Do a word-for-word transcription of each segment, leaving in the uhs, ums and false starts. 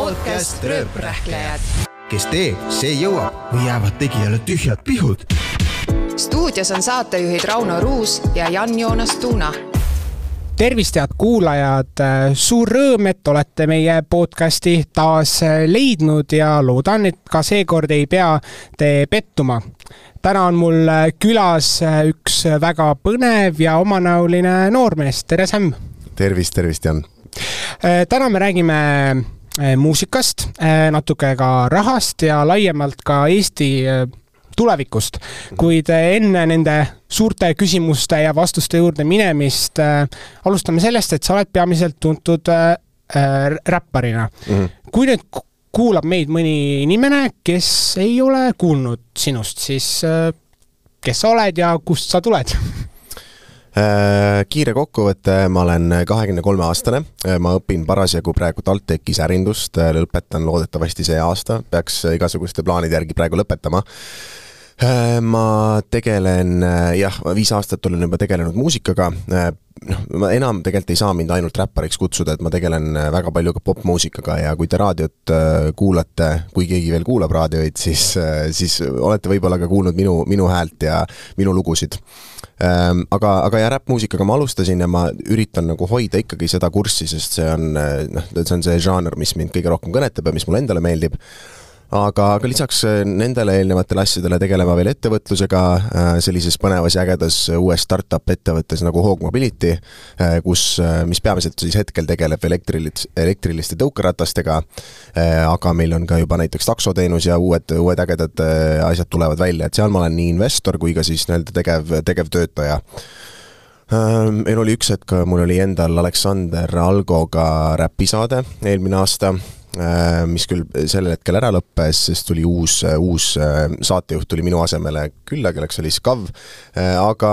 podcast Rööprähklejad. Kes teeb, see jõuab või jäävad tegijale tühjad pihud. Stuudios on saatejuhid Rauno Ruus ja Jan-Joonas Tuuna. Tervist head kuulajad, suur rõõm, et olete meie podcasti taas leidnud ja loodan, et ka seekord ei pea te pettuma. Täna on mul külas üks väga põnev ja omanäoline noormees. Tere Sam! Tervist, tervist Jan! Täna me räägime muusikast, natuke ka rahast ja laiemalt ka Eesti tulevikust. Kuid enne nende suurte küsimuste ja vastuste juurde minemist alustame sellest, et sa oled peamiselt tuntud räpparina. Mm-hmm. Kui nüüd kuulab meid mõni inimene, kes ei ole kuulnud sinust, siis kes sa oled ja kust sa tuled? Kiire kokkuvõte, ma olen kahekümne kolme aastane, ma õpin parasjagu praegu TalTechis ärindust, lõpetan loodetavasti see aasta, peaks igasuguste plaanide järgi praegu lõpetama. Ma tegelen, jah, viis aastat olen juba tegelenud muusikaga, noh, ma enam tegelikult ei saa mind ainult räppariks kutsuda, et ma tegelen väga palju ka popmuusikaga ja kui te raadiot kuulate, kui keegi veel kuulab raadioid, siis, siis olete võib-olla ka kuulnud minu, minu häält ja minu lugusid. Aga, aga ja räppmuusikaga ma alustasin ja ma üritan nagu hoida ikkagi seda kurssi, sest see on, noh, see on see žanr, mis mind kõige rohkem kõnetab ja mis mulle endale meeldib. Aga, aga lisaks nendele eelnevatele asjadele tegelema veel ettevõtlusega sellises põnevas ja ägedas uues startup ettevõttes nagu Hog Mobility, kus, mis peamiselt siis hetkel tegeleb elektriliste, elektriliste tõukeratastega, aga meil on ka juba näiteks taksoteenus ja uued, uued ägedad asjad tulevad välja, et seal ma olen nii investor kui ka siis nii-öelda tegev, tegev töötaja. Meil oli üks hetk, mul oli endal Aleksander Algoga räpisaade eelmine aasta, mis küll sellel hetkel ära lõppes, sest tuli uus, uus saatejuht tuli minu asemele külla, kelleks oli Skav, aga,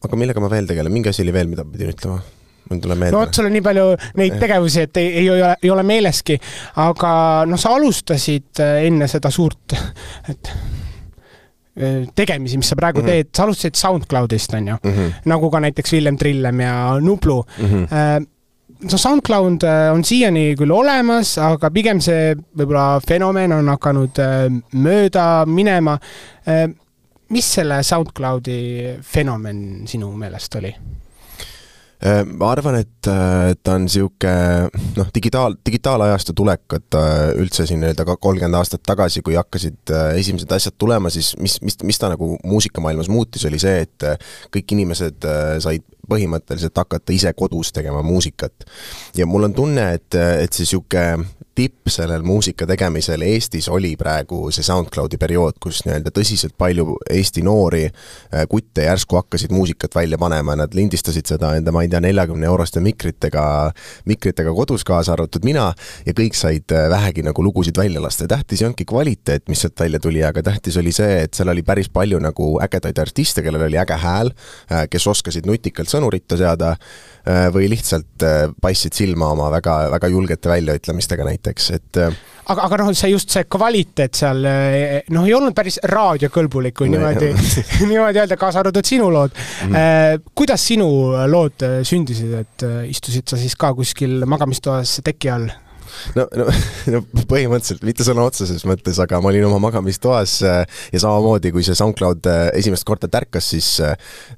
aga millega ma veel tegelen? Mingi asi oli veel, mida pidin ütlema? No, sul on nii palju neid tegevusi, et ei, ei, ole, ei ole meeleski, aga no, sa alustasid enne seda suurt et tegemisi, mis sa praegu mm-hmm. teed, sa alustasid SoundCloudist, on ju, mm-hmm. nagu ka näiteks Villem Trillem ja Nublu. Mm-hmm. So SoundCloud on siiani küll olemas, aga pigem see võib-olla fenomen on hakanud mööda minema. Mis selle SoundCloudi fenomen sinu meelest oli? Ma arvan, et ta on siuke noh, digitaal, digitaalajastu tulek, et üldse siin kolmkümmend aastat tagasi, kui hakkasid esimesed asjad tulema, siis mis, mis, mis ta nagu muusikamaailmas muutis, oli see, et kõik inimesed said põhimõtteliselt hakata ise kodus tegema muusikat. Ja mul on tunne, et, et see siuke tipp sellel muusika tegemisel Eestis oli praegu see SoundCloudi periood, kus nii-öelda tõsiselt palju Eesti noori kutte järsku hakkasid muusikat välja panema, nad lindistasid seda enda, ma ei tea, neljakümne euroste mikritega, mikritega kodus kaasa arvatud mina ja kõik said vähegi nagu lugusid välja lasta. Tähtis ei ongi kvaliteet, mis sealt välja tuli, aga tähtis oli see, et seal oli päris palju nagu ägedaid artiste, kellel oli äge hääl, kes oskasid nutikalt sõnuritta seada või lihtsalt paissid silma oma väga, väga julgete väljaütlemistega näiteks, et aga, aga noh, see just see kvaliteet seal noh, ei olnud päris raadiokõlbulik, kui niimoodi, niimoodi öelda, kaasa arvatud sinu lood. Mm. Kuidas sinu lood sündisid, et istusid sa siis ka kuskil magamistoas teki all? No, no, no põhimõtteliselt, mitte sõna otseses mõttes, aga ma olin oma magamistoas ja samamoodi, kui see SoundCloud esimest korda tärkas, siis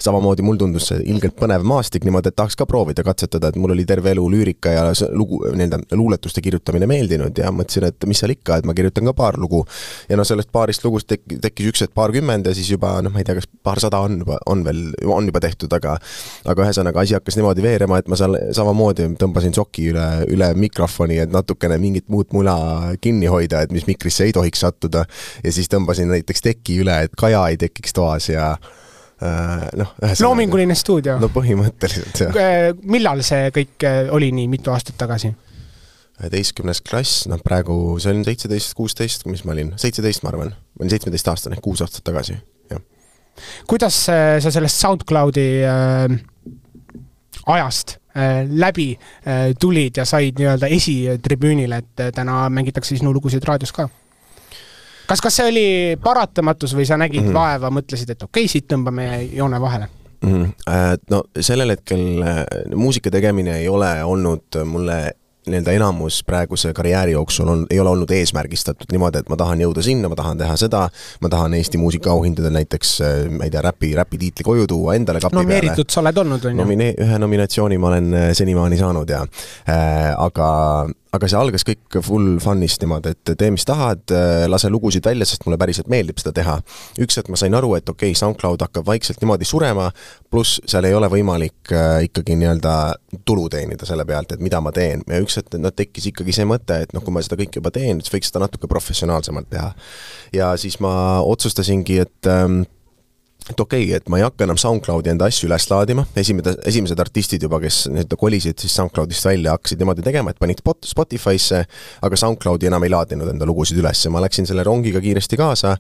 samamoodi mul tundus see ilgelt põnev maastik, niimoodi, et tahaks ka proovida katsetada, et mul oli terve elu lüürika ja lugu, nii-öelda luuletuste kirjutamine meeldinud ja mõtlesin, et mis seal ikka, et ma kirjutan ka paar lugu. Ja no sellest paarist lugust tek- tekkis üks, et paar kümmend ja siis juba, noh, ma ei tea, kas paar sada on, juba, on veel, on juba tehtud, aga, aga ühesõnaga asi hakkas niimoodi veerema, et ma seal samamoodi tõmbasin soki üle, üle mikrofoni, et natukene mingit muud mula kinni hoida, et mis mikrisse ei tohiks sattuda ja siis tõmbasin näiteks teki üle, et kaja ei tekiks toas ja äh, noh. Loominguline stuudio. No põhimõtteliselt, jah. Millal see kõik oli nii mitu aastat tagasi? üheteistkümnes klass, noh praegu see on seitseteist kuusteist, mis ma olin? seitseteist ma arvan. Ma olin seitsmeteist aastane, kuus aastat tagasi. Ja. Kuidas sa sellest SoundCloudi äh, ajast läbi tulid ja said nii-öelda esitribüünile, et täna mängitakse sinu lugusid raadios ka? Kas, kas see oli paratamatus või sa nägid mm-hmm. vaeva, mõtlesid, et okei, siit tõmbame joone vahele? Mm-hmm. No sellel hetkel muusika tegemine ei ole olnud mulle nii-öelda enamus praeguse karjääri jooksul on, ei ole olnud eesmärgistatud niimoodi, et ma tahan jõuda sinna, ma tahan teha seda, ma tahan Eesti muusikaauhindadel näiteks, ma ei tea, räpi, räpi tiitli koju tuua endale kapi no, peale. Nomeeritud sa oled olnud, on ju? Nomine- ühe nominatsiooni ma olen senimaani saanud ja äh, aga aga see algas kõik full fun'ist niimoodi, et tee mis tahad, lase lugusid välja, sest mulle päriselt meeldib seda teha. Üks, et ma sain aru, et okei, okay, SoundCloud hakkab vaikselt niimoodi surema, pluss seal ei ole võimalik äh, ikkagi nii-öelda tulu teenida selle pealt, et mida ma teen. Ja üks, et no, tekkis ikkagi see mõte, et noh, kui ma seda kõik juba teen, siis võiks seda natuke professionaalsemalt teha. Ja siis ma otsustasingi, et ähm, et okei, okay, et ma ei hakka enam SoundCloudi enda asju üles laadima. Esimesed, esimesed artistid juba, kes need kolisid siis SoundCloudist välja, hakkasid niimoodi tegema, et panid Spotify'sse, aga SoundCloudi enam ei laadinud enda lugusid üles. Ma läksin selle rongiga kiiresti kaasa,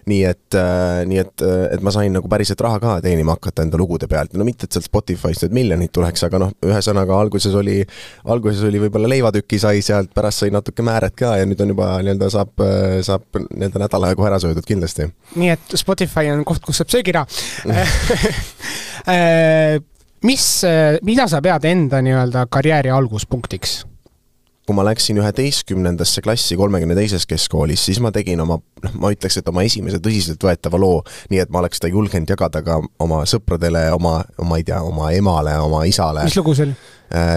nii et, äh, nii et, et ma sain nagu päriselt raha ka teenima hakata enda lugude pealt. No mitte, et sealt Spotify'st need miljonid tuleks, aga noh, ühesõnaga alguses oli, alguses oli võib-olla leivatüki sai sealt, pärast sai natuke määret ka ja nüüd on juba nii-öelda saab, saab nii-öelda nädala kohe ära söödud kindlasti. Nii et Spotify on koht, kus saab söögira. Mis, mida sa pead enda nii-öelda karjääri alguspunktiks? Kui ma läksin üheteistkümnendasse klassi kolmekümne teises keskkoolis, siis ma tegin oma, noh, ma ütleks, et oma esimese tõsiselt võetava loo, nii et ma oleks seda julgenud jagada ka oma sõpradele, oma, oma, ei tea, oma emale, oma isale. Mis lugu see oli?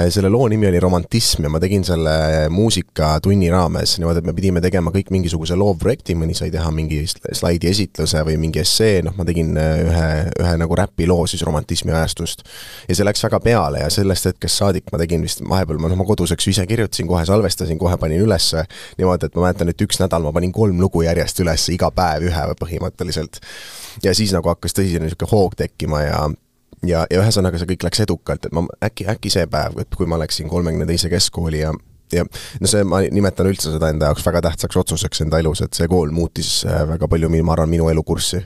Selle loo nimi oli Romantism ja ma tegin selle muusikatunni raames, niimoodi, et me pidime tegema kõik mingisuguse loovprojekti, mõni sai teha mingi slaidi esitluse või mingi essee, noh, ma tegin ühe, ühe nagu räpi loo siis romantismi ajastust. Ja see läks väga peale ja sellest hetkest saadik ma tegin vist vahepeal, ma, no, ma koduseks ise kirjutasin, kohe salvestasin, kohe panin ülesse, niimoodi, et ma mäletan, et üks nädal ma panin kolm lugu järjest ülesse, iga päev ühe põhimõtteliselt. Ja siis nagu hakkas tõsine niisugune hoog tekkima ja Ja, ja ühesõnaga see kõik läks edukalt, et ma äkki, äkki see päev, et kui ma läksin kolmekümne teise keskkooli ja, ja no see, ma nimetan üldse seda enda jaoks väga tähtsaks otsuseks enda elus, et see kool muutis väga palju, ma arvan, minu elukurssi.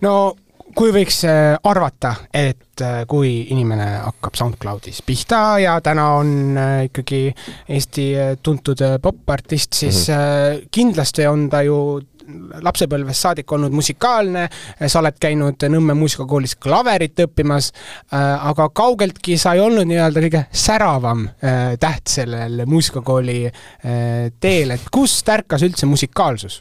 No kui võiks arvata, et kui inimene hakkab SoundCloudis pihta ja täna on ikkagi Eesti tuntud popartist, siis mm-hmm. kindlasti on ta ju lapsepõlvest saadik olnud musikaalne, sa oled käinud Nõmme muusikakoolis klaverit õppimas, aga kaugeltki sa ei olnud nii-öelda kõige säravam täht sellel muusikakooli teel, et kust ärkas üldse musikaalsus?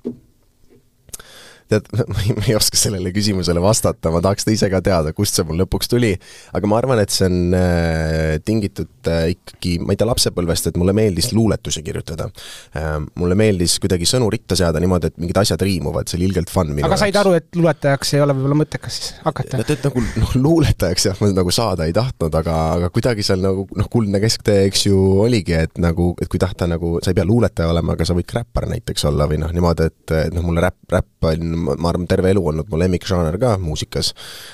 Tead, ma ei oska sellele küsimusele vastata, ma tahaks ta ise ka teada, kust see mul lõpuks tuli, aga ma arvan, et see on äh, tingitud äh, ikkagi, ma ei tea, lapsepõlvest, et mulle meeldis luuletusi kirjutada. Äh, mulle meeldis kuidagi sõnu ritta seada niimoodi, et mingid asjad riimuvad, see oli ilgelt fun. Aga said aru, et luuletajaks ei ole võib-olla mõttekas siis hakata? Et, et nagu no, luuletajaks jah, ma nagu saada ei tahtnud, aga, aga kuidagi seal nagu noh, kuldne kesktee, eks ju, oligi, et nagu, et kui tahta nagu, sa ei pea luuletaja olema, aga sa võid räppar näiteks olla või noh, niimoodi, et, et noh, mulle räpp, räpp on ma arvan, terve elu olnud mu lemmikžaaner ka muusikas,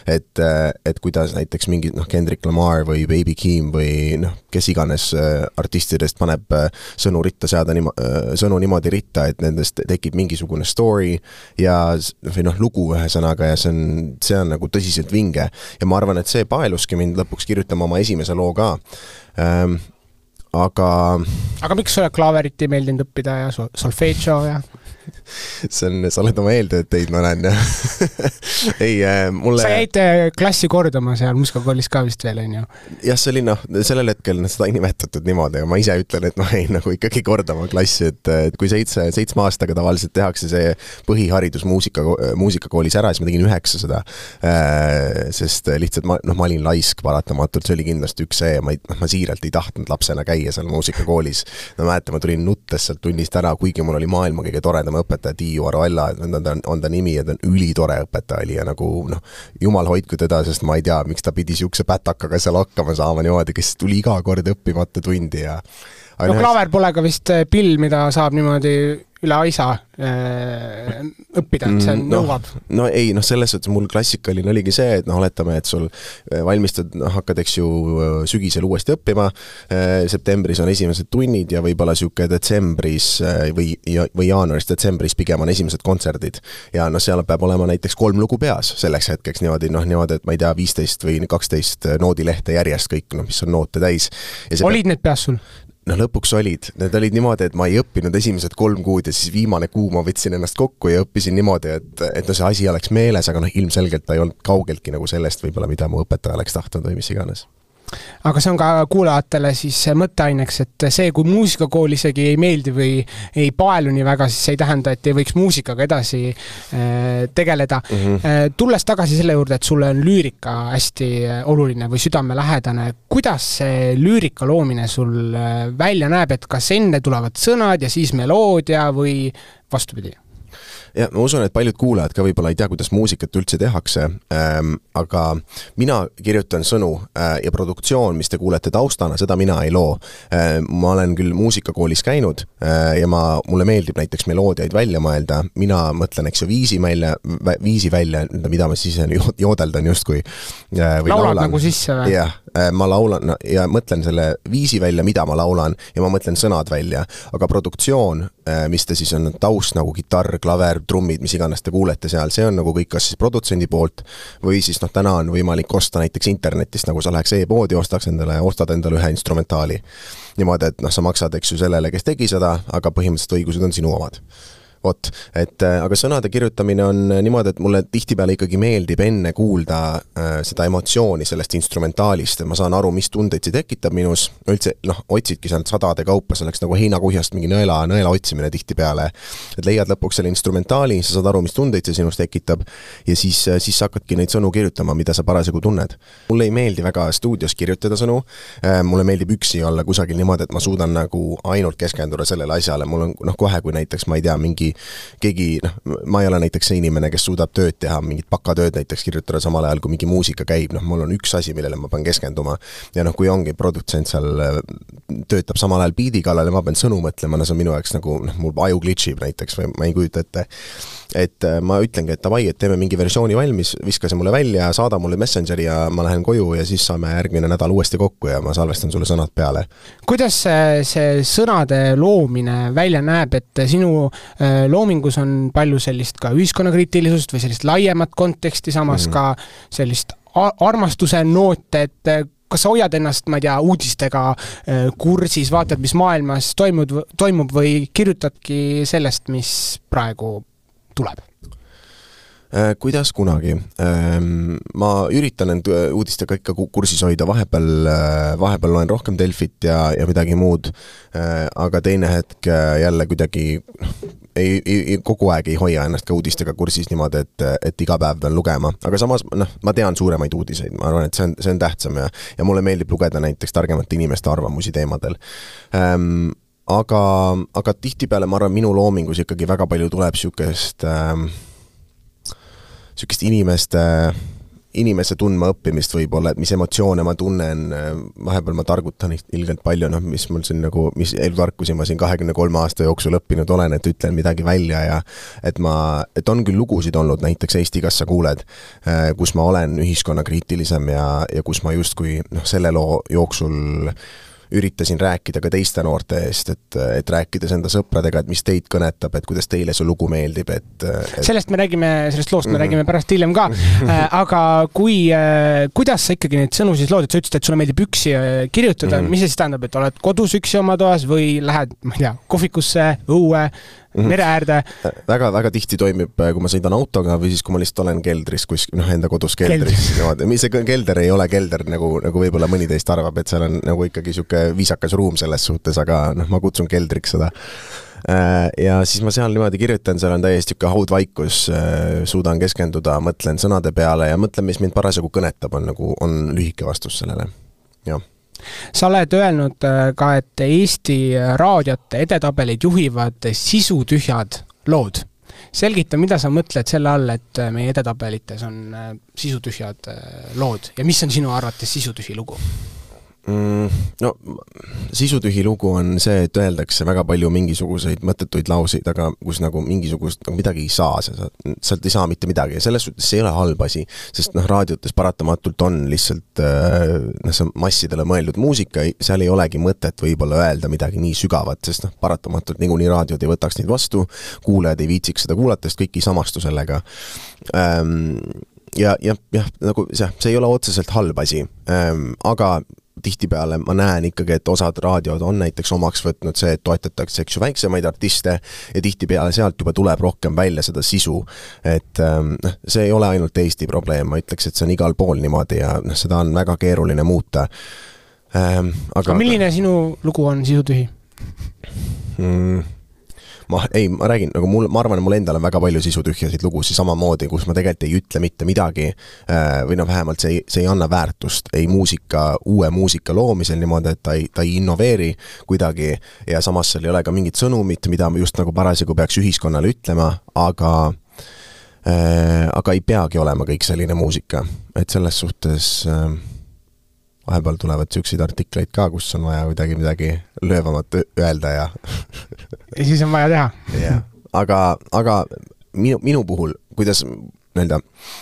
et, et kuidas näiteks mingi noh, Kendrick Lamar või Baby Keem või noh, kes iganes artistidest paneb sõnu ritta seada nimo, sõnu niimoodi ritta, et nendest tekib mingisugune story ja või noh, lugu ühesõnaga ja see on, see on nagu tõsiselt vinge ja ma arvan, et see paeluski mind lõpuks kirjutama oma esimese loo ka ähm, aga aga miks sulle klaverit ei meeldinud õppida ja solfeggio ja see on, sa oled oma eeltööteid, ma näen ei, mulle sa jäid klassi kordama seal muusikakoolis ka vist veel, on ju? jah, see oli noh, sellel hetkel seda ei nimetatud niimoodi, aga ma ise ütlen, et ma jäin nagu ikkagi kordama klassi, et, et kui seitse, seitsme aastaga tavaliselt tehakse see põhiharidus muusika, muusikakoolis ära, siis ma tegin üheksa seda sest lihtsalt ma, noh, ma olin laisk paratamatult, see oli kindlasti üks see, ma, ei, ma siiralt ei tahtnud lapsena käia seal muusikakoolis ma mäletan, ma tulin nuttes sealt tunnist ära, kuigi mul oli maailma kõige toredam õpetaja Tiiu Aroella, on ta, on ta nimi ja ta on ülitore õpetaja oli ja nagu noh, jumal hoidku teda, sest ma ei tea, miks ta pidi siukse pätakaga seal hakkama saama niimoodi, kes tuli iga kord õppimata tundi ja no ühes... klaver pole ka vist pill, mida saab niimoodi üle aisa äh, õppida, et see nõuab. No, no ei, noh selles suhtes mul klassikaline oligi see, et noh, oletame, et sul valmistad, noh, hakkad, eks ju, sügisel uuesti õppima, septembris on esimesed tunnid ja võib-olla siuke detsembris või, või jaanuaris, detsembris pigem on esimesed kontserdid ja noh, seal peab olema näiteks kolm lugu peas selleks hetkeks niimoodi, noh, niimoodi, et ma ei tea, viisteist või kaksteist noodilehte järjest kõik, noh, mis on noote täis. Olid need peas sul? No lõpuks olid, need olid niimoodi, et ma ei õppinud esimesed kolm kuud ja siis viimane kuu ma võtsin ennast kokku ja õppisin niimoodi, et, et no see asi oleks meeles, aga noh ilmselgelt ta ei olnud kaugeltki nagu sellest võib-olla, mida mu õpetaja oleks tahtnud või mis iganes. aga see on ka kuulajatele siis mõtteaineks, et see, kui muusikakool isegi ei meeldi või ei paelu nii väga, siis see ei tähenda, et ei võiks muusikaga edasi tegeleda. Mm-hmm. Tulles tagasi selle juurde, et sulle on lüürika hästi oluline või südamelähedane, kuidas see lüürika loomine sul välja näeb, et kas enne tulevad sõnad ja siis meloodia või vastupidi? Ja ma usun, et paljud kuulajad ka võib-olla ei tea, kuidas muusikat üldse tehakse, ähm, aga mina kirjutan sõnu äh, ja produktsioon, mis te kuulete taustana, seda mina ei loo. Äh, ma olen küll muusikakoolis käinud äh, ja ma, mulle meeldib näiteks meloodiaid välja mõelda, mina mõtlen, eks ju, viisi välja, viisi välja, mida ma siis joodeldan justkui. Äh, või Laulad laulan. Nagu sisse või? Jah, äh, ma laulan no, ja mõtlen selle viisi välja, mida ma laulan ja ma mõtlen sõnad välja, aga produktsioon, äh, mis te siis on taust nagu gitarr, klaver, trummid, mis iganes te kuulete seal, see on nagu kõik kas siis produtsendi poolt või siis noh, täna on võimalik osta näiteks internetist, nagu sa läheks e-poodi, ostaks endale, ostad endale ühe instrumentaali. Niimoodi, et noh, sa maksad, eks ju, sellele, kes tegi seda, aga põhimõtteliselt õigused on sinu omad. Vot, et aga sõnade kirjutamine on niimoodi, et mulle tihtipeale ikkagi meeldib enne kuulda äh, seda emotsiooni sellest instrumentaalist, et ma saan aru, mis tundeid see tekitab minus, üldse, noh, otsidki seal sadade kaupa, selleks nagu heinakuhjast mingi nõela, nõela otsimine tihtipeale, et leiad lõpuks selle instrumentaali, sa saad aru, mis tundeid see sinust tekitab ja siis, siis sa hakkadki neid sõnu kirjutama, mida sa parasjagu tunned. Mulle ei meeldi väga stuudios kirjutada sõnu, äh, mulle meeldib üksi olla kusagil niimoodi, et ma suudan nagu ainult keskenduda sellele asjale, mul on noh, kohe, kui näiteks, ma ei tea, mingi keegi, noh, ma ei ole näiteks see inimene, kes suudab tööd teha, mingit pakatööd näiteks kirjutada samal ajal, kui mingi muusika käib, noh, mul on üks asi, millele ma pean keskenduma ja noh, kui ongi produtsent seal töötab samal ajal biidi kallal ja ma pean sõnu mõtlema, no see on minu jaoks nagu, noh, mul aju glitchib näiteks või ma ei kujuta ette, et ma ütlengi, et davai, et teeme mingi versiooni valmis, viska see mulle välja, saada mulle Messengeri ja ma lähen koju ja siis saame järgmine nädal uuesti kokku ja ma salvestan sulle sõnad peale. Kuidas see, see sõnade loomine välja näeb, et sinu loomingus on palju sellist ka ühiskonnakriitilisust või sellist laiemat konteksti, samas mm. ka sellist armastuse noote, et kas sa hoiad ennast, ma ei tea, uudistega kursis, vaatad, mis maailmas toimub, toimub või kirjutadki sellest, mis praegu tuleb? Kuidas kunagi? Ma üritan end uudistega ikka kursis hoida, vahepeal, vahepeal loen rohkem Delfit ja, ja midagi muud, aga teine hetk jälle kuidagi ei, ei, kogu aeg ei hoia ennast ka uudistega kursis niimoodi, et, et iga päev pean lugema, aga samas noh, ma tean suuremaid uudiseid, ma arvan, et see on, see on tähtsam ja, ja mulle meeldib lugeda näiteks targemate inimeste arvamusi teemadel. Ähm, aga, aga tihtipeale ma arvan, minu loomingus ikkagi väga palju tuleb siukest ähm, siukest inimeste, inimese tundma õppimist võib-olla, et mis emotsioone ma tunnen, vahepeal ma targutan ilgelt palju, noh, mis mul siin nagu, mis elutarkusi ma siin kahekümne kolme aasta jooksul õppinud olen, et ütlen midagi välja ja et ma, et on küll lugusid olnud, näiteks Eesti Kassa kuuled, kus ma olen ühiskonnakriitilisem ja, ja kus ma justkui noh, selle loo jooksul üritasin rääkida ka teiste noorte eest, et, et rääkides enda sõpradega, et mis teid kõnetab, et kuidas teile see lugu meeldib, et, et... Sellest me räägime, sellest loost me mm-hmm. räägime pärast hiljem ka, aga kui, kuidas sa ikkagi neid sõnu siis lood, et sa ütlesid, et sulle meeldib üksi kirjutada, mm-hmm. mis see siis tähendab, et oled kodus üksi oma toas või lähed, ma ei tea, kohvikusse, õue, mere äärde? Väga, väga tihti toimib, kui ma sõidan autoga või siis, kui ma lihtsalt olen keldris, kus, noh, enda kodus keldris. keldris. See kelder ei ole kelder, nagu, nagu võib-olla mõni teist arvab, et seal on nagu ikkagi siuke viisakas ruum selles suhtes, aga noh, ma kutsun keldriks seda. Ja siis ma seal niimoodi kirjutan, seal on täiesti siuke haudvaikus, suudan keskenduda, mõtlen sõnade peale ja mõtlen, mis mind parasjagu kõnetab, on, nagu, on lühike vastus sellele. Jah. Sa oled öelnud ka, et Eesti raadiote edetabelid juhivad sisutühjad lood. Selgita, mida sa mõtled selle all, et meie edetabelites on sisutühjad lood ja mis on sinu arvates sisutühi lugu? Mm, no, sisutühi lugu on see, et öeldakse väga palju mingisuguseid mõttetuid lauseid, aga kus nagu mingisugust nagu midagi ei saa, sa, sealt ei saa mitte midagi ja selles suhtes see ei ole halb asi, sest noh, raadiotes paratamatult on lihtsalt noh, see massidele mõeldud muusika, seal ei olegi mõtet võib-olla öelda midagi nii sügavat, sest noh, paratamatult niikuinii raadiod ei võtaks neid vastu, kuulajad ei viitsiks seda kuulata, sest kõik ei samastu sellega. Ähm, ja, ja, ja nagu see, see ei ole otseselt halb asi, ähm, aga tihtipeale ma näen ikkagi, et osad raadiod on näiteks omaks võtnud see, et toetatakse eks ju väiksemaid artiste ja tihtipeale sealt juba tuleb rohkem välja seda sisu. Et noh, see ei ole ainult Eesti probleem, ma ütleks, et see on igal pool niimoodi ja noh, seda on väga keeruline muuta. Ähm, aga, aga milline sinu lugu on sisutühi? Mm, ma, ei, ma räägin, nagu mul, ma arvan, et mul endal on väga palju sisutühjasid lugusid samamoodi, kus ma tegelikult ei ütle mitte midagi või no vähemalt see ei, see ei anna väärtust, ei muusika, uue muusika loomisel niimoodi, et ta ei, ta ei innoveeri kuidagi ja samas seal ei ole ka mingit sõnumit, mida just nagu parasjagu peaks ühiskonnale ütlema, aga äh, aga ei peagi olema kõik selline muusika, et selles suhtes äh, vahepeal tulevad süksid artikleid ka, kus on vaja midagi, midagi löövamat öelda ja ja siis on vaja teha. yeah. Aga, aga minu, minu puhul, kuidas, nii-öelda,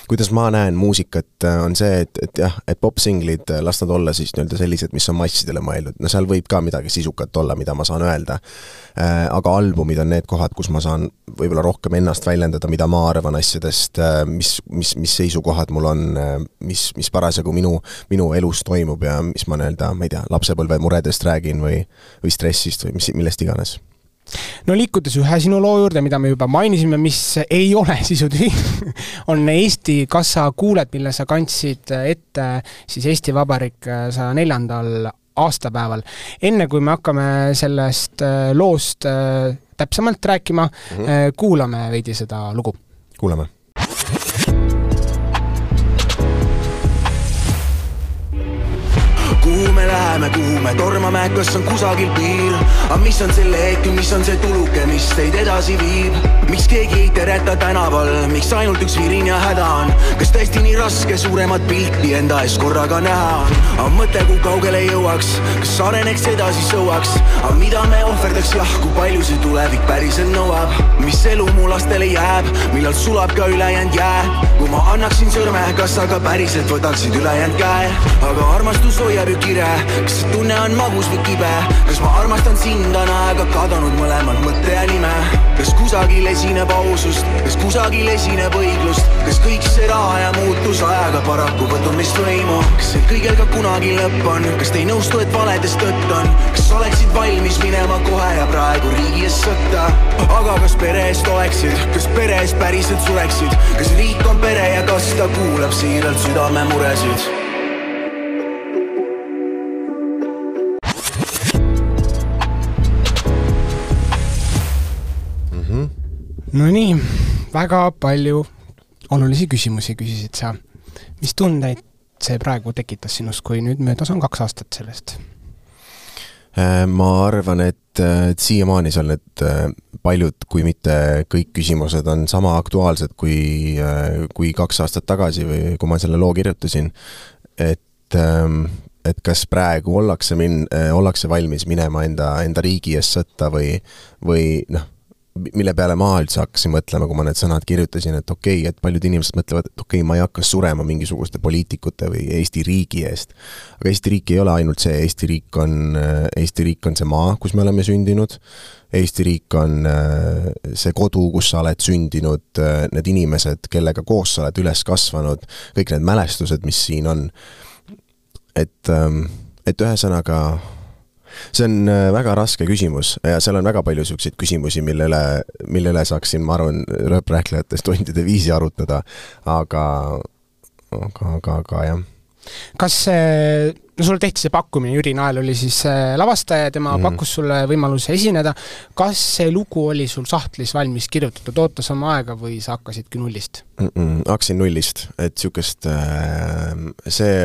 kuidas ma näen muusikat, on see, et, et jah, et popsinglid, las nad olla siis nii-öelda sellised, mis on massidele mõeldud. No seal võib ka midagi sisukat olla, mida ma saan öelda. Aga albumid on need kohad, kus ma saan võib-olla rohkem ennast väljendada, mida ma arvan asjadest, mis, mis, mis seisukohad mul on, mis, mis parasjagu minu, minu elus toimub ja mis ma nii-öelda, ma ei tea, lapsepõlve muredest räägin või, või stressist või mis, millest iganes. No liikudes ühe sinu loo juurde, mida me juba mainisime, mis ei ole sisutühi, on Eesti Kassa kuuled, mille sa kandsid ette siis Eesti Vabariik saja neljandal aastapäeval. Enne kui me hakkame sellest loost täpsemalt rääkima, mm-hmm. kuulame veidi seda lugu. Kuulame. Kuhu me läheme, kuhu me tormame, kas on kusagil piir? Aga mis on selle hetk, mis on see tuluke, mis teid edasi viib? Miks keegi ei tereta tänaval, miks ainult üks virin ja häda on? Kas tõesti nii raske suuremat pilti enda ees korraga näha on? Aga mõte, kui kaugele jõuaks, kas areneks edasi sõuaks? Aga mida me ohverdaks, jah, kui palju see tulevik päriselt nõuab? Mis elu mu lastele jääb, millal sulab ka ülejäänd jää? Kui ma annaksin sõrme, kas aga päriselt võtaksid ülejäänd käe? Aga armastus hoiab kire, kas see tunne on magus või kibe? Kas ma armastan sind on aega kadunud mõlemad mõtte ja nime? Kas kusagil esineb ausust, kas kusagil esineb õiglust? Kas kõik see raha ja muutus ajaga paraku võtun meist võimu? Kas see kõigel ka kunagi lõpp on? Kas te ei nõustu, et valedest tõtt on? Kas oleksid valmis minema kohe ja praegu riigi ees sõtta? Aga kas pere eest oleksid? Kas pere eest päriselt sureksid? Kas riik on pere ja kas ta kuulab siiralt südame muresid? No nii, väga palju olulisi küsimusi küsisid sa. Mis tundeid see praegu tekitas sinust, kui nüüd möödas on kaks aastat sellest? Ma arvan, et, et siiamaani seal need paljud, kui mitte kõik küsimused on sama aktuaalsed kui, kui kaks aastat tagasi või kui ma selle loo kirjutasin. Et, et kas praegu ollakse, min, ollakse valmis minema enda, enda riigi ees sõtta või, või noh, mille peale ma üldse hakkasin mõtlema, kui ma need sõnad kirjutasin, et okei, okay, et paljud inimesed mõtlevad, et okei, okay, ma ei hakka surema mingisuguste poliitikute või Eesti riigi eest. Aga Eesti riik ei ole ainult see, Eesti riik on, Eesti riik on see maa, kus me oleme sündinud. Eesti riik on see kodu, kus sa oled sündinud, need inimesed, kellega koos sa oled üles kasvanud, kõik need mälestused, mis siin on. Et, et ühesõnaga see on väga raske küsimus ja seal on väga palju selliseid küsimusi, millele, millele saaksin, ma arvan, rööprähklejatest tundide viisi arutada, aga, aga, aga, aga jah. Kas see, no sulle tehti see pakkumine, Jüri Nael oli siis lavastaja, tema mm. pakkus sulle võimaluse esineda. Kas see lugu oli sul sahtlis valmis kirjutatud, ootas oma aega või sa hakkasidki nullist? Mm-mm, hakkasin nullist, et sükest, see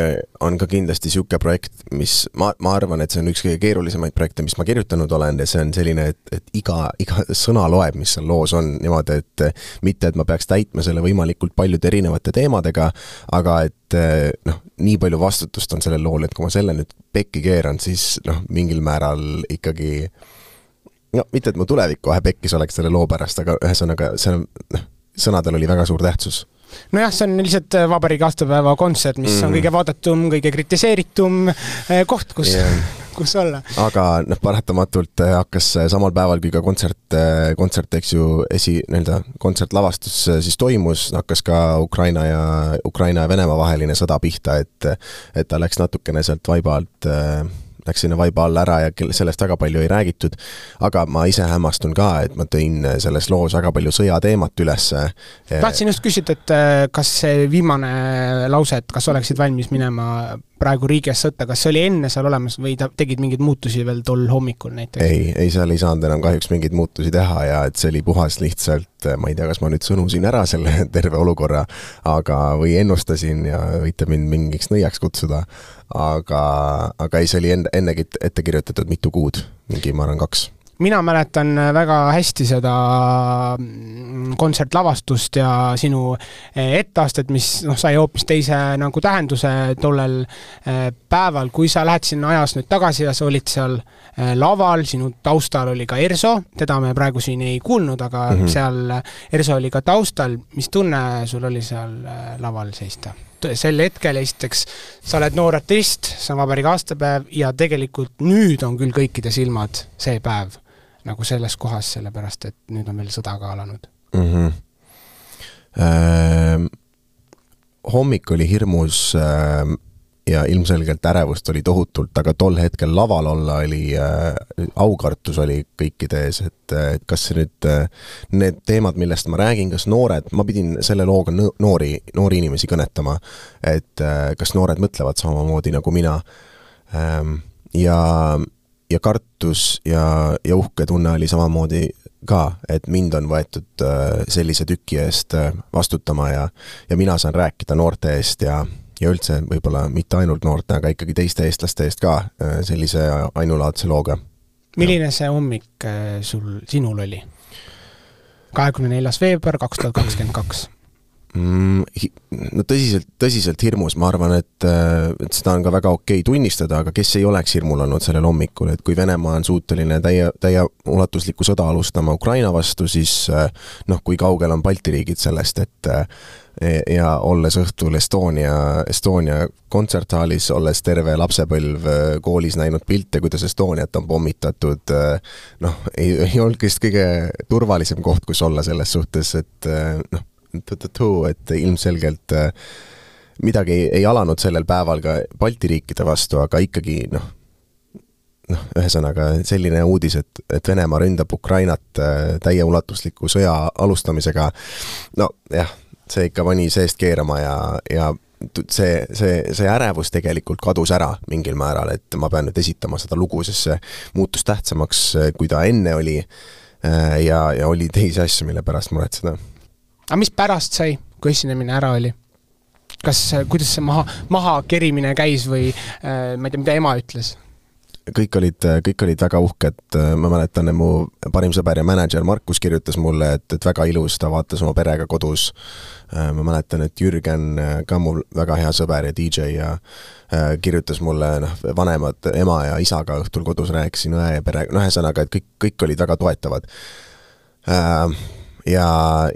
on ka kindlasti siuke projekt, mis ma, ma arvan, et see on üks kõige keerulisemaid projekte, mis ma kirjutanud olen ja see on selline, et, et iga, iga sõna loeb, mis seal loos on niimoodi, et mitte, et ma peaks täitma selle võimalikult paljude erinevate teemadega, aga et noh, nii palju vastutust on sellel lool, et kui ma selle nüüd pekki keeran, siis noh, mingil määral ikkagi no mitte, et mu tulevik kohe pekkis oleks selle loo pärast, aga ühesõnaga see on, noh, sõnadel oli väga suur tähtsus. nojah, see on lihtsalt vabariigi aastapäeva kontsert, mis mm. on kõige vaadatum, kõige kritiseeritum koht, kus, yeah. kus olla. Aga noh, paratamatult hakkas samal päeval, kui ka kontsert, kontsert eks ju, esi, nii-öelda kontsertlavastus siis toimus, hakkas ka Ukraina ja, Ukraina ja Venemaa vaheline sõda pihta, et, et ta läks natukene sealt vaiba alt läks sinna vaiba alla ära ja sellest väga palju ei räägitud, aga ma ise hämmastun ka, et ma tõin selles loos väga palju sõjateemat üles. Tahtsin just küsida, et kas see viimane lause, et kas oleksid valmis minema praegu riigis sõtta, kas see oli enne seal olemas või ta tegid mingeid muutusi veel tol hommikul näiteks? Ei, ei seal ei saanud enam kahjuks mingeid muutusi teha ja et see oli puhas lihtsalt, ma ei tea, kas ma nüüd sõnusin ära selle terve olukorra, aga või ennustasin ja võite mind mingiks nõiaks kutsuda, aga, aga ei, see oli enne, ennegi ette kirjutatud mitu kuud, mingi ma arvan kaks. Mina mäletan väga hästi seda kontsertlavastust ja sinu etteastet, mis no, sai hoopis teise nagu tähenduse tollel päeval, kui sa lähed sinna ajas nüüd tagasi ja sa olid seal laval, sinu taustal oli ka Erso, teda me praegu siin ei kuulnud, aga mm-hmm. seal Erso oli ka taustal, mis tunne sul oli seal laval seista? Sel hetkel esiteks sa oled noor artist, see on vabariigi aastapäev ja tegelikult nüüd on küll kõikide silmad see päev nagu selles kohas, sellepärast, et nüüd on veel sõda ka alanud. Mm-hmm. Äh, hommik oli hirmus äh, ja ilmselgelt ärevust oli tohutult, aga tol hetkel laval olla oli, äh, aukartus oli kõikide ees, et, et kas nüüd äh, need teemad, millest ma räägin, kas noored, ma pidin selle looga noori, noori inimesi kõnetama, et äh, kas noored mõtlevad samamoodi nagu mina. Ähm, ja ja kartus ja, ja uhke tunne oli samamoodi ka, et mind on võetud sellise tüki eest vastutama ja, ja mina saan rääkida noorte eest ja, ja üldse võib-olla mitte ainult noorte, aga ikkagi teiste eestlaste eest ka sellise ainulaadse looga. Milline see hommik sul, sinul oli? kahekümne neljas veebruar kaks tuhat kakskümmend kaks No tõsiselt, tõsiselt hirmus, ma arvan, et, et seda on ka väga okei tunnistada, aga kes ei oleks hirmul olnud sellel hommikul, et kui Venemaa on suuteline täie, täie ulatuslikku sõda alustama Ukraina vastu, siis noh, kui kaugel on Balti riigid sellest, et ja olles õhtul Estonia, Estonia kontserthaalis, olles terve lapsepõlv koolis näinud pilte, kuidas Estoniat on pommitatud, noh, ei, ei olnud kõist kõige turvalisem koht, kus olla selles suhtes, et noh, et ilmselgelt midagi ei alanud sellel päeval ka Balti riikide vastu, aga ikkagi noh, noh, ühesõnaga selline uudis, et, et Venemaa ründab Ukrainat täie ulatusliku sõja alustamisega, no jah, see ikka pani seest keerama ja, ja see, see, see ärevus tegelikult kadus ära mingil määral, et ma pean nüüd esitama seda lugu, sest see muutus tähtsamaks, kui ta enne oli ja, ja oli teisi asju, mille pärast muretseda. Aga mis pärast sai, kui esinemine ära oli? Kas, kuidas see maha, maha kerimine käis või äh, ma ei tea, mida ema ütles? Kõik olid, kõik olid väga uhked. Ma mäletan, mu parim sõber ja manager Markus kirjutas mulle, et, et väga ilus, ta vaatas oma perega kodus. Ma mäletan, et Jürgen, ka mul väga hea sõber ja D J ja kirjutas mulle noh, vanemad, ema ja isaga õhtul kodus rääkisin õe ja pere, noh, ühesõnaga, et kõik, kõik olid väga toetavad. Äh, Ja,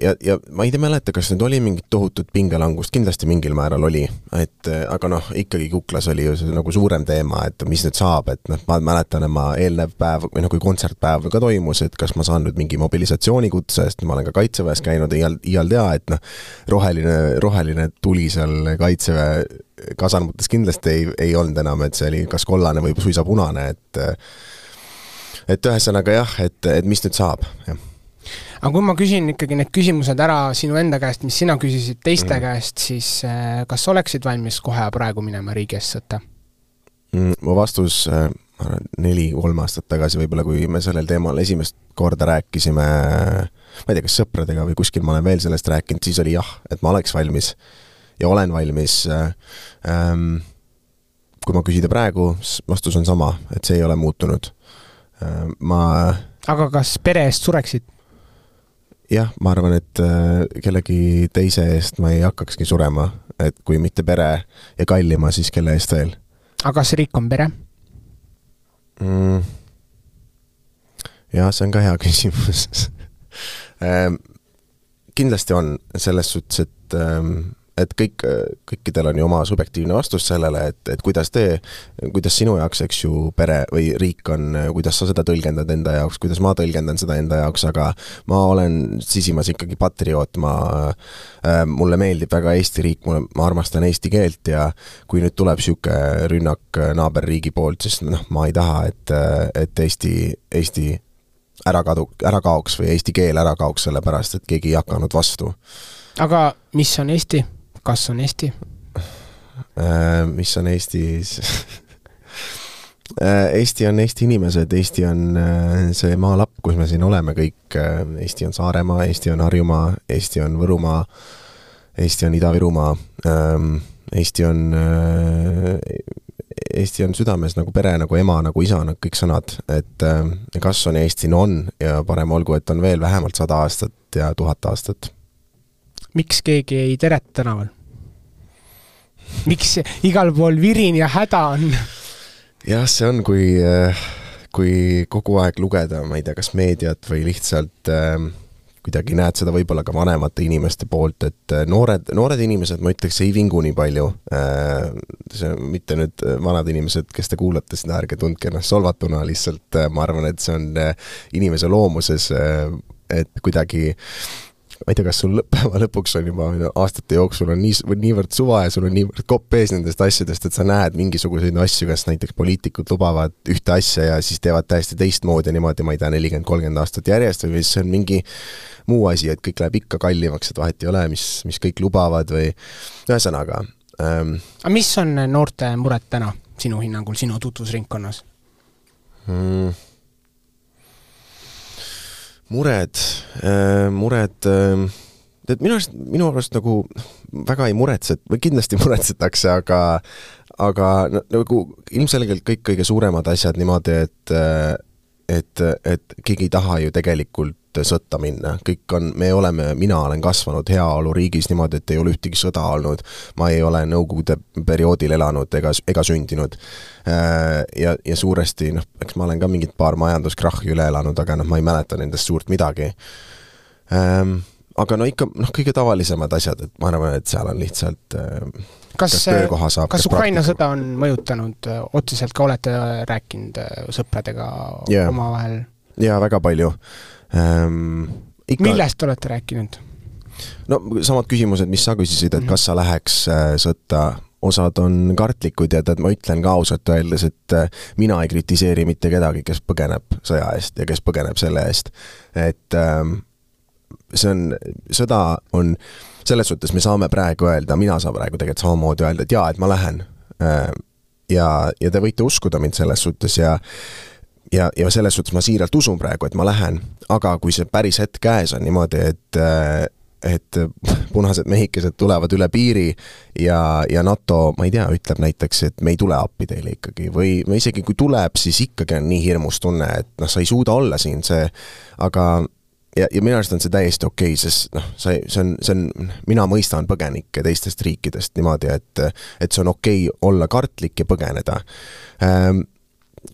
ja, ja ma ei tea mäleta, kas nüüd oli mingit tohutut pingelangust, kindlasti mingil määral oli, et aga noh, ikkagi Kuklas oli ju see nagu suurem teema, et mis nüüd saab, et noh, ma mäletan, et ma eelnev päev või noh, kui kontsertpäev ka toimus, et kas ma saan nüüd mingi mobilisatsioonikutse, sest ma olen ka Kaitseväes käinud ja iial tea, et noh, roheline, roheline tuli seal Kaitseväe kasarmutes kindlasti ei, ei olnud enam, et see oli kas kollane või suisa punane, et et ühesõnaga jah, et, et mis nüüd saab, jah. Aga kui ma küsin ikkagi need küsimused ära sinu enda käest, mis sina küsisid teiste mm. käest, siis kas oleksid valmis kohe praegu minema riigi eest sõtta? Mm, mu vastus neli, kolm aastat tagasi võib-olla, kui me sellel teemal esimest korda rääkisime, ma ei tea, kas sõpradega või kuskil ma olen veel sellest rääkinud, siis oli jah, et ma oleks valmis ja olen valmis. Ähm, kui ma küsida praegu, vastus on sama, et see ei ole muutunud. Ähm, ma... Aga kas pere eest sureksid? Jah, ma arvan, et kellegi teise eest ma ei hakkakski surema, et kui mitte pere ja kallima, siis kelle eest veel. Aga kas riik on pere? Mm. Jah, see on ka hea küsimus. Kindlasti on selles suhtes, et et et kõik, kõikidel on ju oma subjektiivne vastus sellele, et, et kuidas te, kuidas sinu jaoks, eks ju, pere või riik on, kuidas sa seda tõlgendad enda jaoks, kuidas ma tõlgendan seda enda jaoks, aga ma olen sisimas ikkagi patrioot, ma, äh, mulle meeldib väga Eesti riik, mulle, ma armastan eesti keelt ja kui nüüd tuleb siuke rünnak naaberriigi poolt, siis noh, ma ei taha, et, et Eesti, Eesti ära, kadu, ära kaoks või eesti keel ära kaoks sellepärast, et keegi ei hakanud vastu. Aga mis on Eesti? Kas on Eesti? Äh, mis on Eestis? Eesti on Eesti inimesed, Eesti on see maalapp, kus me siin oleme kõik. Eesti on Saaremaa, Eesti on Harjumaa, Eesti on Võrumaa, Eesti on Ida-Virumaa, Eesti on, Eesti on südames nagu pere, nagu ema, nagu isa, nagu kõik sõnad. Et kas on Eesti? No on ja parem olgu, et on veel vähemalt sada aastat ja tuhat aastat. Miks keegi ei teret tänaval? Miks igal pool virin ja häda on? Jah, see on, kui, kui kogu aeg lugeda, ma ei tea, kas meediat või lihtsalt äh, kuidagi näed seda võib-olla ka vanemate inimeste poolt, et noored, noored inimesed, ma ütleks, ei vingu nii palju. Äh, see mitte nüüd vanad inimesed, kes te kuulate seda, ärge tundke ennast solvatuna, lihtsalt ma arvan, et see on inimese loomuses, et kuidagi ma ei tea, kas sul lõppeva lõpuks on juba aastate jooksul on nii, niivõrd suva ja sul on niivõrd kopp ees nendest asjadest, et sa näed mingisuguseid asju, kas näiteks poliitikud lubavad ühte asja ja siis teevad täiesti teistmoodi niimoodi, ma ei tea, nelikümmend kolmkümmend aastat järjest või see on mingi muu asi, et kõik läheb ikka kallimaks, et vahet ei ole, mis, mis kõik lubavad või ühesõnaga. Ähm, Aga mis on noorte mured täna sinu hinnangul, sinu tutvusringkonnas? Hmm. Mured, äh, mured, äh, et minu arust, minu arust nagu väga ei muretset, või kindlasti muretsetakse, aga, aga nagu ilmselgelt kõik kõige suuremad asjad niimoodi, et, et, et keegi ei taha ju tegelikult sõtta minna. Kõik on, me oleme, mina olen kasvanud heaolu riigis niimoodi, et ei ole ühtegi sõda olnud. Ma ei ole nõukogude perioodil elanud ega, ega sündinud. Ja, ja suuresti, noh, eks ma olen ka mingit paar majanduskrahhi üle elanud, aga noh, ma ei mäleta nendest suurt midagi. Aga no ikka, noh, kõige tavalisemad asjad, et ma arvan, et seal on lihtsalt kas, kas, saab, kas Ukraina sõda on mõjutanud otseselt, ka olete rääkinud sõpradega yeah. omavahel? Jaa, väga palju. Ähm, ikka... Millest olete rääkinud? No samad küsimused, mis sa küsisid, et kas sa läheks sõtta, osad on kartlikud ja tead, ma ütlen ka ausalt öeldes, et mina ei kritiseeri mitte kedagi, kes põgeneb sõja eest ja kes põgeneb selle eest. Et ähm, see on, sõda on, selles suhtes me saame praegu öelda, mina saan praegu tegelikult samamoodi öelda, et jaa, et ma lähen. Ja, ja te võite uskuda mind selles suhtes ja Ja, ja selles suhtes ma siiralt usun praegu, et ma lähen, aga kui see päris hetk käes on niimoodi, et, et punased mehikesed tulevad üle piiri ja, ja NATO, ma ei tea, ütleb näiteks, et me ei tule appi teile ikkagi või, või isegi kui tuleb, siis ikkagi on nii hirmus tunne, et noh, sa ei suuda olla siin see, aga ja, ja minu arust on see täiesti okei, sest noh, see, see on, see on, mina mõistan põgenikke teistest riikidest niimoodi, et, et see on okei olla kartlik ja põgeneda. Ähm,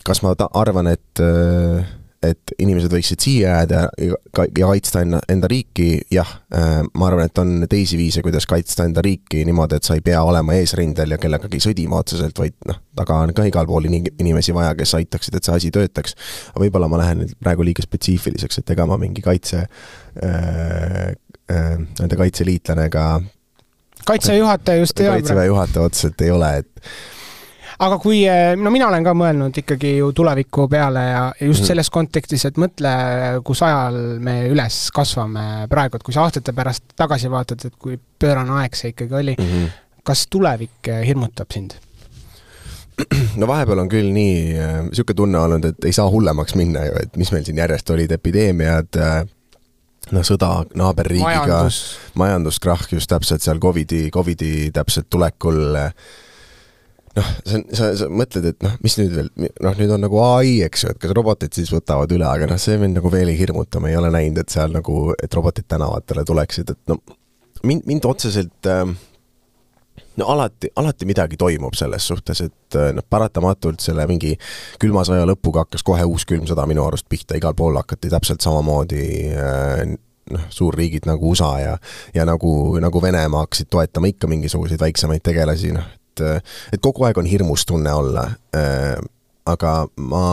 kas ma ta- arvan, et, et inimesed võiksid siia jääda ja kaitsta enda, enda riiki? Jah, ma arvan, et on teisi viise, kuidas kaitsta enda riiki niimoodi, et sa ei pea olema eesrindel ja kellegagi sõdima otseselt, vaid noh, taga on ka igal pool inimesi vaja, kes aitaksid, et see asi töötaks. Aga võib-olla ma lähen praegu liiga spetsiifiliseks, et ega ma mingi kaitse äh, äh, nende kaitseliitlane ega kaitsejuhataja just ei ole. Kaitseväe juhataja otseselt ei ole, et aga kui, no mina olen ka mõelnud ikkagi ju tuleviku peale ja just selles kontekstis, et mõtle, kus ajal me üles kasvame praegu, et kui sa aastate pärast tagasi vaatad, et kui pöörane aeg see ikkagi oli, mm-hmm. kas tulevik hirmutab sind? No vahepeal on küll nii siuke tunne olnud, et ei saa hullemaks minna ju, et mis meil siin järjest olid epideemiad, no sõda naaberriigiga, Majandus. majanduskrahh just täpselt seal Covidi, Covidi täpselt tulekul. Noh, sa, sa, sa mõtled, et noh, mis nüüd veel, noh, nüüd on nagu A I, eks ju, et kas robotid siis võtavad üle, aga noh, see mind nagu veel ei hirmuta, me ei ole näinud, et seal nagu, et robotid tänavatele tuleksid, et no, mind, mind otseselt no alati, alati midagi toimub selles suhtes, et noh, paratamatult selle mingi külma sõja lõpuga hakkas kohe uus külm sõda minu arust pihta, igal pool hakati täpselt samamoodi noh, suurriigid nagu U S A ja, ja nagu, nagu Venemaa hakkasid toetama ikka mingisuguseid väiksemaid tegelasi, noh, et, et kogu aeg on hirmus tunne olla. Aga ma,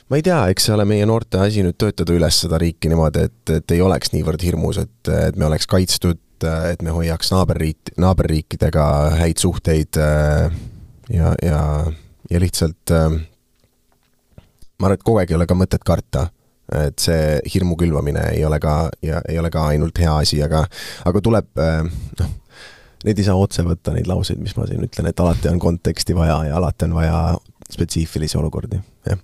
ma ei tea, eks see ole meie noorte asi nüüd töötada üles seda riiki niimoodi, et, et ei oleks niivõrd hirmus, et, et me oleks kaitstud, et me hoiaks naaberriik, naaberriikidega häid suhteid ja, ja, ja lihtsalt ma arvan, et kogu aeg ei ole ka mõtet karta, et see hirmu külvamine ei ole ka, ja, ei ole ka ainult hea asi, aga, aga tuleb, noh, neid ei saa otse võtta, neid lauseid, mis ma siin ütlen, et alati on konteksti vaja ja alati on vaja spetsiifilisi olukordi, jah.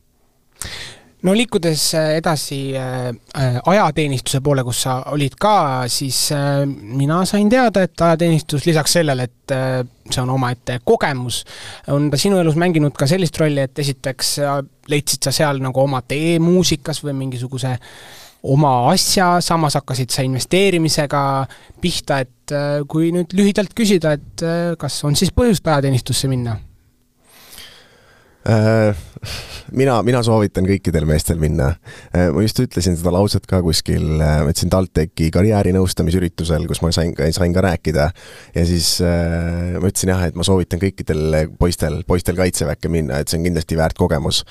No liikudes edasi ajateenistuse poole, kus sa olid ka, siis mina sain teada, et ajateenistus lisaks sellele, et see on oma ette kogemus, on ta sinu elus mänginud ka sellist rolli, et esiteks leidsid sa seal nagu oma tee muusikas või mingisuguse oma asja, samas hakkasid sa investeerimisega pihta, et kui nüüd lühidalt küsida, et kas on siis põhjust ajateenistusse minna? Mina, mina soovitan kõikidel meestel minna. Ma just ütlesin seda lauset ka kuskil, ma ütlesin TalTechi karjäärinõustamisüritusel, kus ma sain, sain ka rääkida ja siis ma ütlesin jah, et ma soovitan kõikidel poistel, poistel kaitseväkke minna, et see on kindlasti väärt kogemus.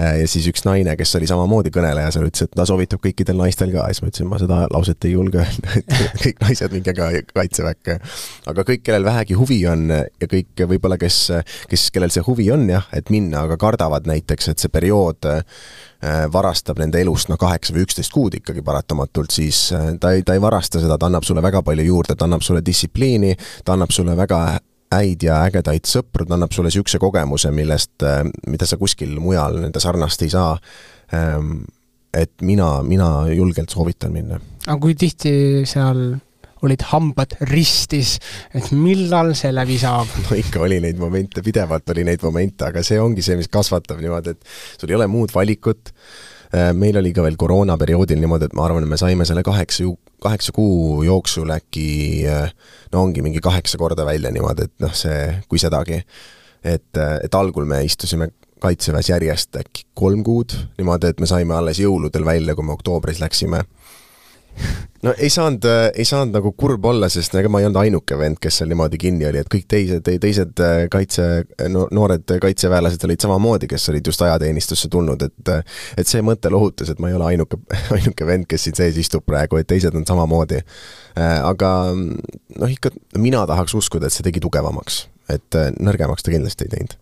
Ja siis üks naine, kes oli samamoodi kõneleja, seal ütles, et ta soovitab kõikidel naistel ka, ja siis ma ütlesin, ma seda lauset ei julge öelda, et kõik naised minge ka kaitseväkke. Aga kõik, kellel vähegi huvi on ja kõik võib-olla, kes, kes, kellel see huvi on jah, et minna, aga kardavad näiteks, et see periood varastab nende elust no kaheksa või üksteist kuud ikkagi paratamatult, siis ta ei, ta ei varasta seda, ta annab sulle väga palju juurde, ta annab sulle distsipliini, ta annab sulle väga häid ja ägedaid sõpru, ta annab sulle siukse kogemuse, millest, mida sa kuskil mujal nende sarnast ei saa. Et mina, mina julgelt soovitan minna. Aga kui tihti seal olid hambad ristis, et millal see läbi saab? No ikka oli neid momente, pidevalt oli neid momente, aga see ongi see, mis kasvatab niimoodi, et sul ei ole muud valikut. Meil oli ka veel koroonaperioodil niimoodi, et ma arvan, et me saime selle kaheksa, kaheksa kuu jooksul äkki, no ongi mingi kaheksa korda välja niimoodi, et noh, see, kui sedagi. Et, et algul me istusime kaitseväes järjest äkki kolm kuud, niimoodi, et me saime alles jõuludel välja, kui me oktoobris läksime. No ei saanud, ei saanud nagu kurb olla, sest ega ma ei olnud ainuke vend, kes seal niimoodi kinni oli, et kõik teised, teised kaitse, no, noored kaitseväelased olid samamoodi, kes olid just ajateenistusse tulnud, et, et see mõte lohutas, et ma ei ole ainuke, ainuke vend, kes siin sees istub praegu, et teised on samamoodi. Aga noh, ikka mina tahaks uskuda, et see tegi tugevamaks, et nõrgemaks ta kindlasti ei teinud.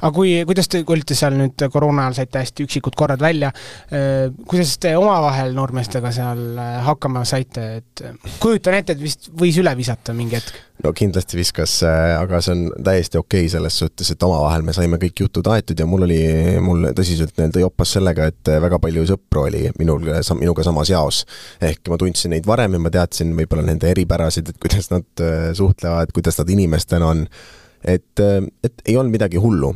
Aga kui, kuidas te olite seal nüüd koroona ajal saite hästi üksikud korrad välja, kuidas te omavahel noormeestega seal hakkama saite, et kujutan ette, et vist võis üle visata mingi hetk? No kindlasti viskas, aga see on täiesti okei selles suhtes, et omavahel me saime kõik jutud aetud ja mul oli mul tõsiselt neil tõi oppas sellega, et väga palju sõpru oli minul, minuga samas jaos. Ehk ma tundsin neid varem ja ma teadsin võib-olla nende eripärasid, et kuidas nad suhtlevad, kuidas nad inimestena on. Et, et ei olnud midagi hullu.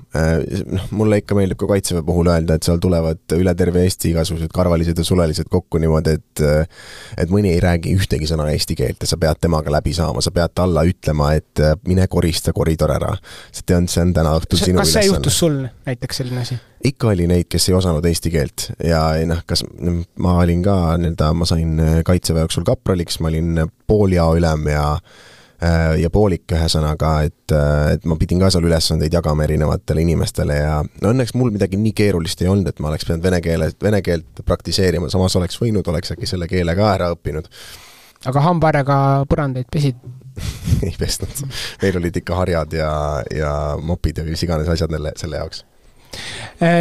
Mulle ikka meeldib ka kaitseväe puhul öelda, et seal tulevad üle terve Eesti igasugused karvalised ja sulelised kokku niimoodi, et, et mõni ei räägi ühtegi sõna eesti keelt ja sa pead temaga läbi saama, sa pead alla ütlema, et mine korista koridor ära. See on, see on täna õhtul sinu ülesanne. Kas see juhtus sul näiteks selline asi? Ikka oli neid, kes ei osanud eesti keelt ja noh, kas ma olin ka, nii-öelda, ma sain kaitseväe jooksul kapraliks, ma olin pooljao ülem ja ja poolik ühesõnaga, et, et ma pidin ka seal ülesandeid jagama erinevatele inimestele ja no õnneks mul midagi nii keerulist ei olnud, et ma oleks pidanud vene, keele, vene keelt praktiseerima, samas oleks võinud, oleks äkki selle keele ka ära õppinud. Aga hambaärega põrandeid pesid? Ei pesnud. Meil olid ikka harjad ja, ja mopid ja mis iganes asjad nelle, selle jaoks.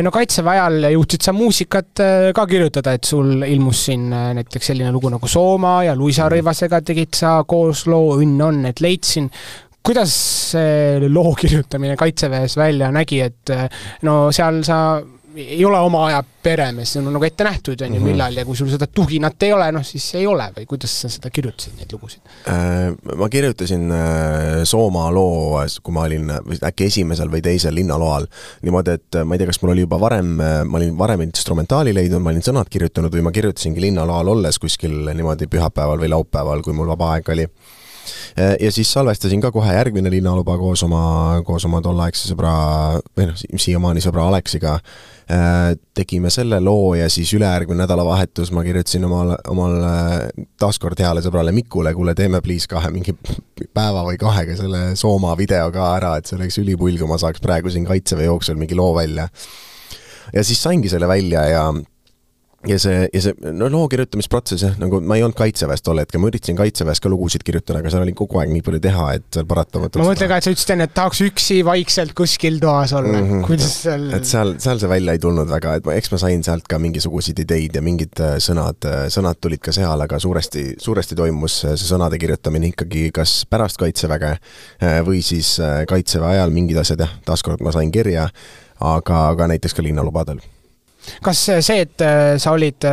No kaitseväe ajal juhtsid sa muusikat ka kirjutada, et sul ilmus siin näiteks selline lugu nagu Sooma ja Luisa Rõivasega tegid sa koos loo Õnn on, et leidsin. Kuidas see loo kirjutamine kaitseväes välja nägi, et no seal sa ei ole oma aja peremees, see on nagu ette nähtud on ju millal ja kui sul seda tuginat ei ole, noh siis ei ole või kuidas sa seda kirjutasid neid lugusid? Ma kirjutasin Sooma loo, kui ma olin äkki esimesel või teisel linnaloal niimoodi, et ma ei tea, kas mul oli juba varem, ma olin varem instrumentaali leidnud, ma olin sõnad kirjutanud või ma kirjutasingi linnaloal olles kuskil niimoodi pühapäeval või laupäeval, kui mul vaba aeg oli. ja siis salvestasin ka kohe järgmine linnaluba koos oma, koos oma tollaegse sõbra, või noh, siiamaani sõbra Aleksiga. Tegime selle loo ja siis ülejärgmine nädalavahetus ma kirjutasin omal, omal taaskord heale sõbrale Mikule, kuule teeme please kahe mingi päeva või kahega selle Sooma video ka ära, et see oleks ülipull, kui ma saaks praegu siin Kaitseväe jooksul mingi loo välja. Ja siis saingi selle välja ja Ja see, ja see no, loo kirjutamisprotsess, nagu ma ei olnud Kaitseväest tol hetkel, ma üritasin Kaitseväest ka lugusid kirjutada, aga seal oli kogu aeg nii palju teha, et seal paratamatult... Ma mõtlen ka, et sa ütlesid enne, et tahaks üksi vaikselt kuskil toas olla. Mm -hmm. Kuidas seal... Et seal, seal see välja ei tulnud väga, et ma, eks ma sain sealt ka mingisuguseid ideid ja mingid sõnad, sõnad tulid ka seal, aga suuresti, suuresti toimus see sõnade kirjutamine ikkagi kas pärast Kaitseväge või siis Kaitseväe ajal mingid asjad, jah, taaskord ma sain kirja, aga, aga näiteks ka linnalubadel. Kas see, et sa olid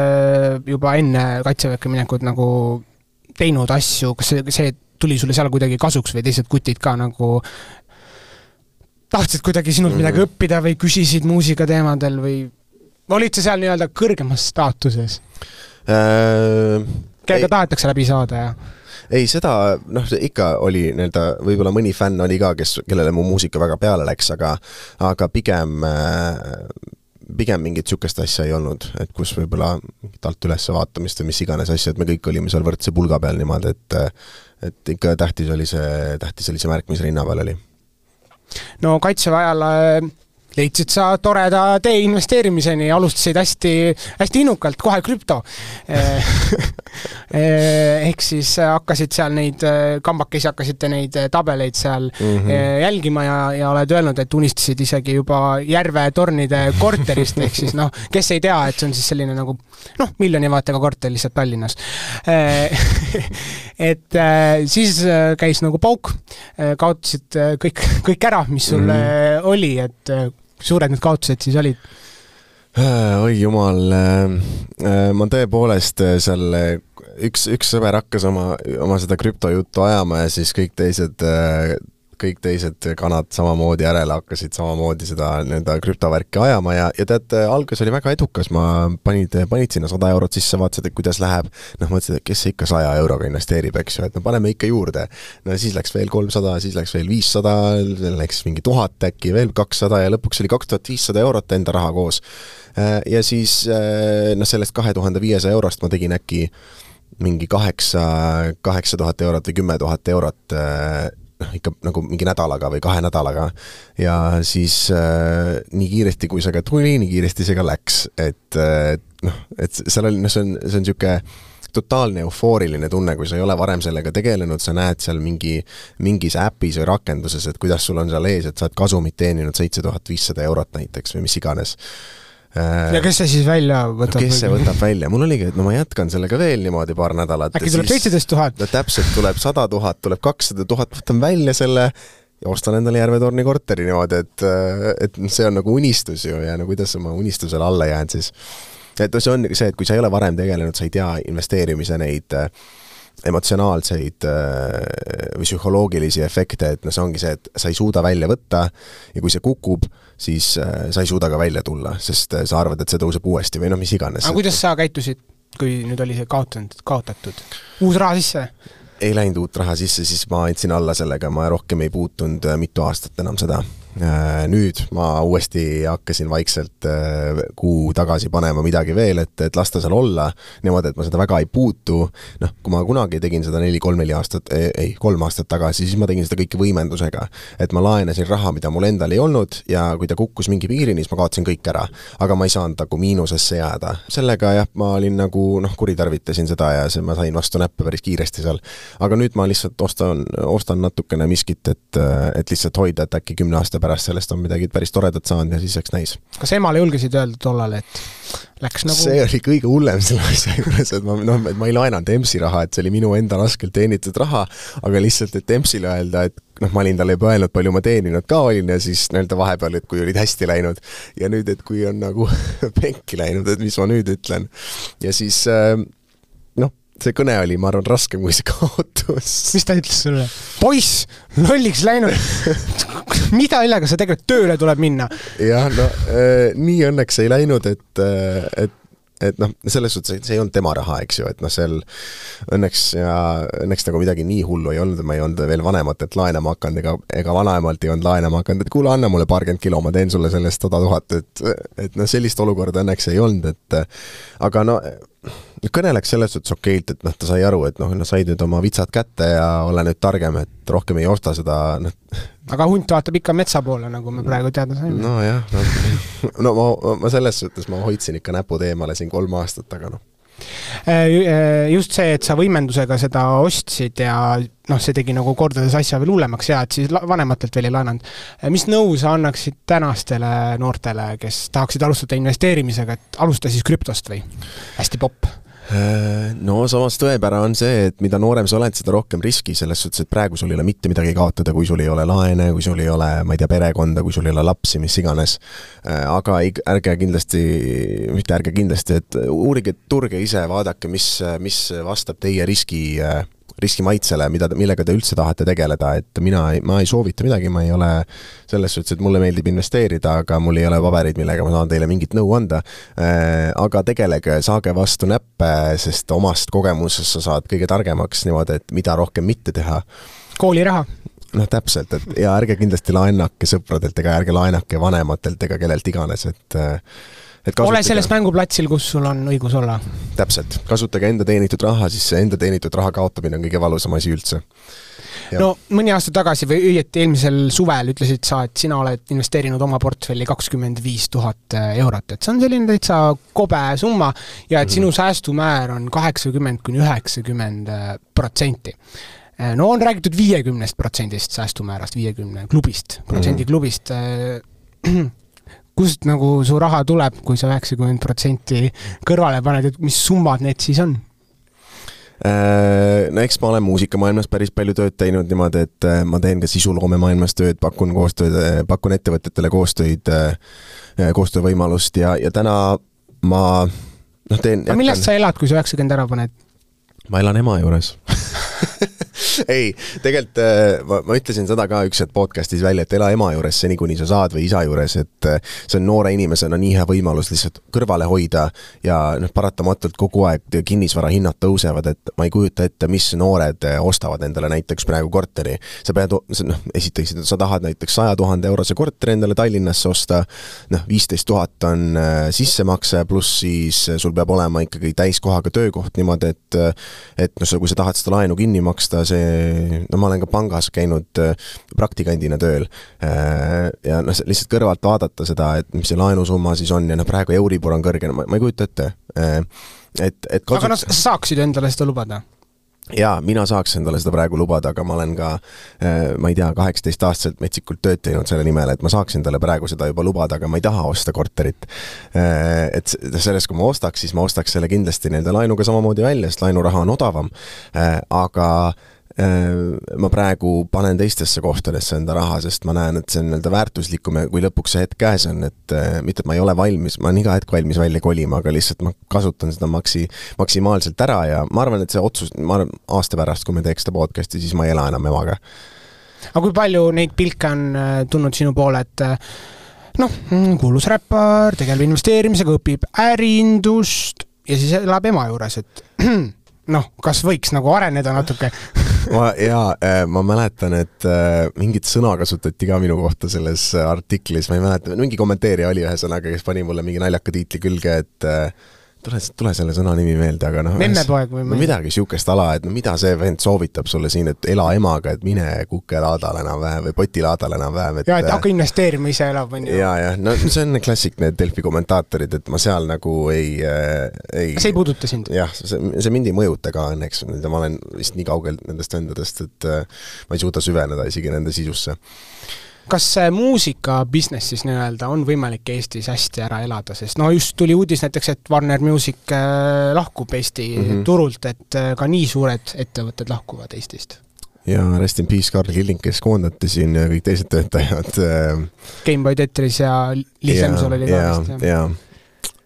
juba enne Kaitseväkke minekut nagu teinud asju, kas see, see tuli sulle seal kuidagi kasuks või teised kutid ka nagu tahtsid kuidagi sinult midagi mm-hmm. õppida või küsisid muusika teemadel või olid sa seal nii-öelda kõrgemas staatuses? Äh, Kellega tahetakse läbi saada ja ei, seda, noh, ikka oli nii-öelda, võib-olla mõni fänn oli ka, kes, kellele mu muusika väga peale läks, aga, aga pigem pigem mingit sükest asja ei olnud, et kus võib-olla alt üles vaatamist või mis iganes asja, et me kõik olime seal võrdse pulga peal niimoodi, et, et ikka tähtis oli see, tähtis oli see märk, mis rinna peal oli. No Kaitseväe ajal leidsid sa toreda tee investeerimiseni ja alustasid hästi, hästi innukalt, kohe krüpto. Ehk siis hakkasid seal neid kambakesi, hakkasite neid tabeleid seal mm-hmm. jälgima ja, ja oled öelnud, et unistasid isegi juba Järve tornide korterist, ehk siis noh, kes ei tea, et see on siis selline nagu noh, miljoni vaatega korter lihtsalt Tallinnas. Et siis käis nagu pauk, kaotasid kõik, kõik ära, mis sul mm-hmm. oli, et suured need kaotused siis olid? Oi jumal, ma tõepoolest seal üks, üks sõber hakkas oma, oma seda krüptojuttu ajama ja siis kõik teised, kõik teised kanad samamoodi järele hakkasid samamoodi seda nende krüptovärki ajama ja, ja tead, algus oli väga edukas, ma panid, panid sinna sada eurot sisse, vaatasid, et kuidas läheb, noh mõtlesid, et kes ikka saja euroga investeerib, eks ju, et no paneme ikka juurde. No siis läks veel kolmsada, siis läks veel viissada, läks mingi tuhat äkki, veel kakssada ja lõpuks oli kaks tuhat viissada eurot enda raha koos. Ja siis no sellest kahe tuhande viiesaja eurost ma tegin äkki mingi kaheksa, kaheksa tuhat eurot või kümme tuhat eurot ikka nagu mingi nädalaga või kahe nädalaga ja siis äh, nii kiiresti kui see ka tuli, nii kiiresti see ka läks, et äh, noh, et seal oli, no see on, see on siuke totaalne eufooriline tunne, kui sa ei ole varem sellega tegelenud, sa näed seal mingi, mingis äpis või rakenduses, et kuidas sul on seal ees, et sa oled kasumit teeninud seitse tuhat viissada eurot näiteks või mis iganes. Ja kes see siis välja võtab? No kes see võtab välja? Mul oligi, et no ma jätkan sellega veel niimoodi paar nädalat. Äkki tuleb seitseteist tuhat? No täpselt tuleb sada tuhat, tuleb kakssada tuhat, võtan välja selle ja ostan endale Järve torni korteri niimoodi, et, et see on nagu unistus ju ja no kuidas ma unistusele alla jään siis. Et see on see, et kui sa ei ole varem tegelenud, sa ei tea investeerimise neid emotsionaalseid või psühholoogilisi efekte, et no see ongi see, et sa ei suuda välja võtta ja kui see kukub, siis sa ei suuda ka välja tulla, sest sa arvad, et see tõuseb uuesti või noh, mis iganes. Aga kuidas sa käitusid, kui nüüd oli see kaotanud, kaotatud? Uus raha sisse? Ei läinud uut raha sisse, siis ma andsin alla sellega, ma rohkem ei puutunud mitu aastat enam seda. Nüüd ma uuesti hakkasin vaikselt kuu tagasi panema midagi veel, et, et lasta seal olla, niimoodi, et ma seda väga ei puutu. Noh, kui ma kunagi tegin seda neli, kolm, neli aastat, ei, kolm aastat tagasi, siis ma tegin seda kõike võimendusega. Et ma laenasin raha, mida mul endal ei olnud ja kui ta kukkus mingi piirini, siis ma kaotasin kõik ära. Aga ma ei saanud nagu miinusesse jääda. Sellega jah, ma olin nagu, noh, kuritarvitasin seda ja see, ma sain vastu näppe päris kiiresti seal. Aga nüüd ma lihtsalt ostan, ostan natukene miskit, et, et lihtsalt hoida, et äkki kümne aasta pärast sellest on midagi päris toredat saanud ja siis eks näis. Kas emale julgesid öelda tollal, et läks nagu... See oli kõige hullem selle asja juures, et ma, no, et ma ei laenanud Emsi raha, et see oli minu enda raskelt teenitud raha, aga lihtsalt, et Emsile öelda, et noh, ma olin talle juba öelnud, palju ma teeninud ka olin ja siis nii-öelda vahepeal, et kui olid hästi läinud ja nüüd, et kui on nagu penki läinud, et mis ma nüüd ütlen. Ja siis noh, see kõne oli, ma arvan, raskem kui see kaotus. Mis ta ütles sulle? Poiss, lolliks läinud. Mida illega sa tegelikult tööle tuleb minna? Jah, no äh, nii õnneks ei läinud, et, et et noh, selles suhtes, et see ei olnud tema raha, eks ju, et noh, seal õnneks ja õnneks nagu midagi nii hullu ei olnud, ma ei olnud veel vanematelt laenama hakanud, ega, ega vanaemalt ei olnud laenama hakanud, et kuule, anna mulle paarkümmend kilo, ma teen sulle sellest sada tuhat, et, et noh, sellist olukorda õnneks ei olnud, et aga no kõneleks selles suhtes okeilt, et noh, ta sai aru, et noh, no said nüüd oma vitsad kätte ja ole nüüd targem, et rohkem ei osta seda noh. Aga hunt vaatab ikka metsa poole, nagu me praegu teada saime. No jah, no, no ma, ma selles suhtes ma hoidsin ikka näpud eemale siin kolm aastat, aga noh. Just see, et sa võimendusega seda ostsid ja noh, see tegi nagu kordades asja veel hullemaks ja et siis vanematelt veel ei laenanud. Mis nõu sa annaksid tänastele noortele, kes tahaksid alustada investeerimisega, et alusta siis krüptost või? Hästi popp. No samas tõepära on see, et mida noorem sa oled, seda rohkem riski selles suhtes, et praegu sul ei ole mitte midagi kaotada, kui sul ei ole laene, kui sul ei ole, ma ei tea, perekonda, kui sul ei ole lapsi, mis iganes. Aga ärge kindlasti, mitte ärge kindlasti, et uurige turge ise, vaadake, mis, mis vastab teie riski riskimaitsele, mida, millega te üldse tahate tegeleda, et mina, ma ei soovita midagi, ma ei ole selles suhtes, et mulle meeldib investeerida, aga mul ei ole paberid, millega ma saan teile mingit nõu anda, aga tegelege, saage vastu näppe, sest omast kogemusest sa saad kõige targemaks niimoodi, et mida rohkem mitte teha. Kooliraha. Noh, täpselt, et ja ärge kindlasti laenake sõpradelt ega ärge laenake vanematelt ega kellelt iganes, et Et ole selles mänguplatsil, kus sul on õigus olla. Täpselt. Kasutage enda teenitud raha, siis see enda teenitud raha kaotamine on kõige valusam asi üldse. Ja. No mõni aasta tagasi või õieti eelmisel suvel ütlesid sa, et sina oled investeerinud oma portfelli kakskümmend viis tuhat eurot. Et see on selline täitsa kobe summa ja et sinu säästumäär on kaheksakümmend kuni üheksakümmend protsenti. No on räägitud viiekümnest protsendist säästumäärast, viiekümne klubist, protsendi klubist. Kust nagu su raha tuleb, kui sa üheksakümmend protsenti kõrvale paned, et mis summad need siis on? No eks ma olen muusikamaailmas päris palju tööd teinud niimoodi, et ma teen ka sisuloome maailmas tööd, pakun, koostööd, pakun ettevõtetele koostöid, koostöövõimalust ja, ja täna ma no teen... Aga millest sa elad, kui sa üheksakümmend ära paned? Ma elan ema juures. Ei, tegelikult ma, ma ütlesin seda ka üks podcastis välja, et ela ema juures seni, kuni sa saad või isa juures, et see on noore inimesena nii hea võimalus lihtsalt kõrvale hoida ja noh, paratamatult kogu aeg kinnisvara hinnad tõusevad, et ma ei kujuta ette, mis noored ostavad endale näiteks praegu korteri. Sa pead, noh, esiteks, sa tahad näiteks saja tuhande eurose korteri endale Tallinnasse osta, noh, viisteist tuhat on sissemakse, pluss siis sul peab olema ikkagi täiskohaga töökoht niimoodi, et, et no, kui sa tahad seda laenu kinni maksta, see no ma olen ka pangas käinud praktikandina tööl ja no, lihtsalt kõrvalt vaadata seda, et mis see laenusumma siis on ja no, praegu Euribor on kõrge, ma, ma ei kujuta ette. Et, et kasut... Aga no, sa saaksid endale seda lubada? Jaa, mina saaks endale seda praegu lubada, aga ma olen ka, ma ei tea, kaheksateist aastaselt metsikult tööd teinud selle nimel, et ma saaks endale praegu seda juba lubada, aga ma ei taha osta korterit. Et selles, kui ma ostaks, siis ma ostaks selle kindlasti nende laenuga samamoodi välja, sest laenuraha on odavam, aga ma praegu panen teistesse kohtadesse enda raha, sest ma näen, et see on nii-öelda väärtuslikum ja kui lõpuks see hetk käes on, et mitte, et ma ei ole valmis, ma olen iga hetk valmis välja kolima, aga lihtsalt ma kasutan seda maksi, maksimaalselt ära ja ma arvan, et see otsus, ma arvan, aasta pärast, kui me teeks seda podcasti, siis ma ei ela enam emaga. Aga kui palju neid pilke on tulnud sinu poole, et noh, kuulus räppar, tegeleb investeerimisega, õpib ärindust ja siis elab ema juures, et noh, kas võiks nagu areneda natuke? ma, jaa, ma mäletan, et mingit sõna kasutati ka minu kohta selles artiklis, ma ei mäleta, mingi kommenteerija oli ühesõnaga, kes pani mulle mingi naljaka tiitli külge, et tule, tule selle sõna nimi meelde, aga noh, Memmepoeg või no, midagi siukest ala, et no mida see vend soovitab sulle siin, et ela emaga, et mine kukelaadal enam vähem või potilaadal enam vähem. Et, ja, et hakka investeerima ise elab. Ja, ja, no see on klassik need Delfi kommentaatorid, et ma seal nagu ei... ei see ei puuduta sind? Jah, see, see mind ei mõjuta ka õnneks, ma olen vist nii kaugel nendest vendadest, et ma ei suuda süveneda isegi nende sisusse. Kas muusika business siis nii-öelda on võimalik Eestis hästi ära elada, sest no just tuli uudis näiteks, et Warner Music lahkub Eesti mm -hmm. turult, et ka nii suured ettevõtted lahkuvad Eestist. Ja rest in peace Karl Killing, kes koondati siin ja kõik teised töötajad. Gameboy Tetris ja Lisemsol oli ka vist. Ja, ja.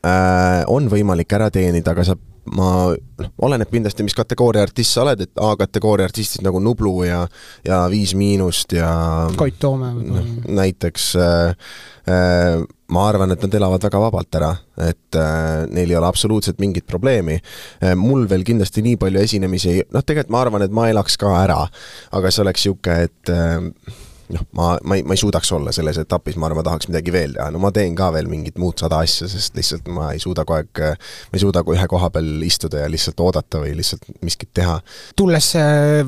Äh, on võimalik ära teenida, aga sa ma noh, oleneb kindlasti, mis kategooria artist sa oled, et A-kategooria artistid nagu Nublu ja, ja Viis Miinust ja Koit Toome no, näiteks äh, äh, ma arvan, et nad elavad väga vabalt ära, et äh, neil ei ole absoluutselt mingit probleemi. Äh, mul veel kindlasti nii palju esinemisi, noh tegelikult ma arvan, et ma elaks ka ära, aga see oleks siuke, et äh, noh, ma, ma, ei, ma ei suudaks olla selles etapis, ma arvan, ma tahaks midagi veel teha. No ma teen ka veel mingit muud sada asja, sest lihtsalt ma ei suuda kogu aeg, ma ei suuda ühe koha peal istuda ja lihtsalt oodata või lihtsalt miskit teha. Tulles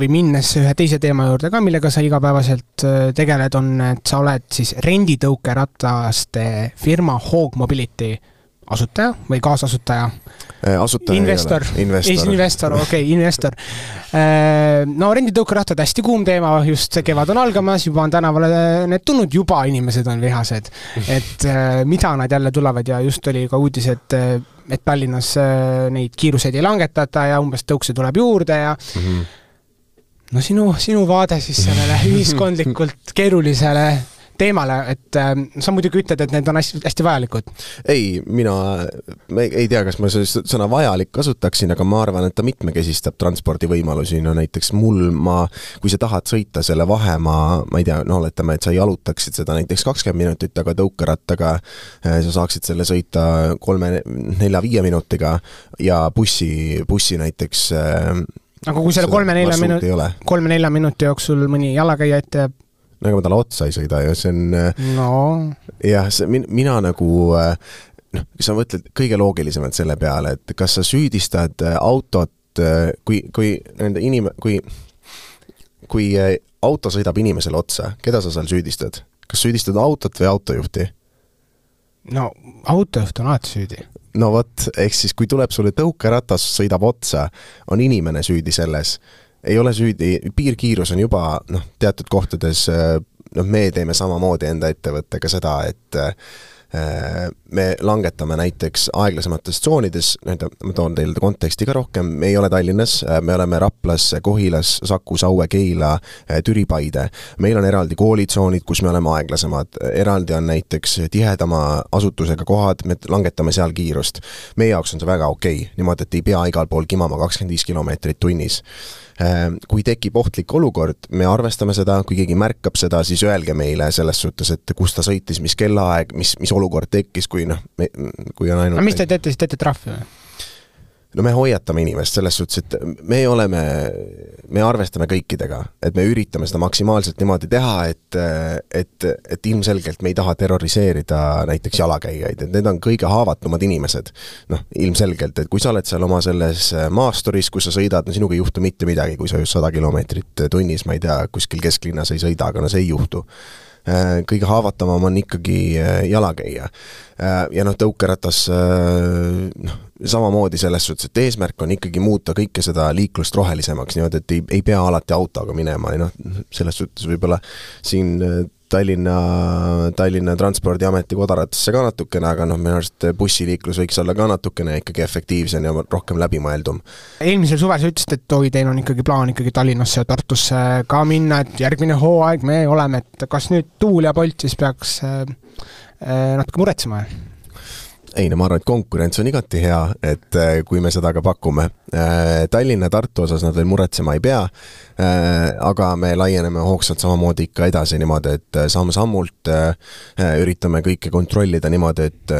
või minnes ühe teise teema juurde ka, millega sa igapäevaselt tegeled, on, et sa oled siis renditõukerataste firma Hog Mobility asutaja või kaasasutaja? Asutaja investor, investor, investor, okei, okay, investor. No renditõukerattad hästi kuum teema, just see kevad on algamas, juba on tänavale need tulnud, juba inimesed on vihased, et mida nad jälle tulevad ja just oli ka uudis, et, et Tallinnas neid kiiruseid ei langetata ja umbes tõukse tuleb juurde ja mm -hmm. no sinu, sinu vaade siis sellele ühiskondlikult keerulisele teemale, et äh, sa muidugi ütled, et need on hästi, hästi vajalikud. Ei, mina ma ei tea, kas ma sõna vajalik kasutaksin, aga ma arvan, et ta mitmekesistab transpordivõimalusi. No näiteks mul, ma, kui sa tahad sõita selle vahemaa, ma ei tea, no oletame, et sa jalutaksid seda näiteks kakskümmend minutit, aga tõukerattaga sa saaksid selle sõita kolme, nelja, viie minutiga ja bussi, bussi näiteks aga kui selle kolme-nelja minuti, kolme-nelja minuti jooksul mõni jalakäija ette jääb nagu ma talle otsa ei sõida ja see on no. jah, see, mina nagu noh, sa mõtled kõige loogilisemalt selle peale, et kas sa süüdistad autot, kui, kui nende inim-, kui kui auto sõidab inimesele otsa, keda sa seal süüdistad? Kas süüdistad autot või autojuhti? No autojuht on alati süüdi. No vot, ehk siis kui tuleb sulle tõukeratas, sõidab otsa, on inimene süüdi selles. Ei ole süüdi, piirkiirus on juba noh, teatud kohtades, noh, me teeme samamoodi enda ettevõttega seda, et me langetame näiteks aeglasemates tsoonides, ma toon teile konteksti ka rohkem, me ei ole Tallinnas, me oleme Raplas, Kohilas, Saku, Saue, Keila, Türi, Paide. Meil on eraldi koolitsoonid, kus me oleme aeglasemad. Eraldi on näiteks tihedama asutusega kohad, me langetame seal kiirust. Meie jaoks on see väga okei, niimoodi, et ei pea igal pool kimama kakskümmend viis kilomeetrit tunnis. Kui tekib ohtlik olukord, me arvestame seda, kui keegi märkab seda, siis öelge meile selles suhtes, et kus ta sõitis, mis kellaaeg, mis, mis olukord tekkis, kui, noh, me, kui on ainult... A mis te teete, siis teete trahvi või? No me hoiatame inimest selles suhtes, et me oleme, me arvestame kõikidega, et me üritame seda maksimaalselt niimoodi teha, et, et, et ilmselgelt me ei taha terroriseerida näiteks jalakäijaid, et need on kõige haavatumad inimesed. Noh, ilmselgelt, et kui sa oled seal oma selles maasturis, kus sa sõidad, no sinuga ei juhtu mitte midagi, kui sa just sada kilomeetrit tunnis, ma ei tea, kuskil kesklinnas ei sõida, aga no see ei juhtu. Kõige haavatavam on ikkagi jalakäija. Ja noh, tõukeratas noh, samamoodi selles suhtes, et eesmärk on ikkagi muuta kõike seda liiklust rohelisemaks, niimoodi, et ei, ei pea alati autoga minema. Ja noh, selles suhtes võib-olla siin Tallinna, Tallinna Transpordiameti kodaratasse ka natukene, aga noh, minu arust bussiliiklus võiks olla ka natukene ikkagi efektiivsem ja rohkem läbimõeldum. Eelmisel suvel sa ütlesid, et oi, teil on ikkagi plaan ikkagi Tallinnasse ja Tartusse ka minna, et järgmine hooaeg me oleme, et kas nüüd Tuul ja Bolt siis peaks äh, natuke muretsema? Ei, no ma arvan, et konkurents on igati hea, et kui me seda ka pakume. Tallinna ja Tartu osas nad veel muretsema ei pea, aga me laieneme hoogsalt samamoodi ikka edasi niimoodi, et samm-sammult üritame kõike kontrollida niimoodi, et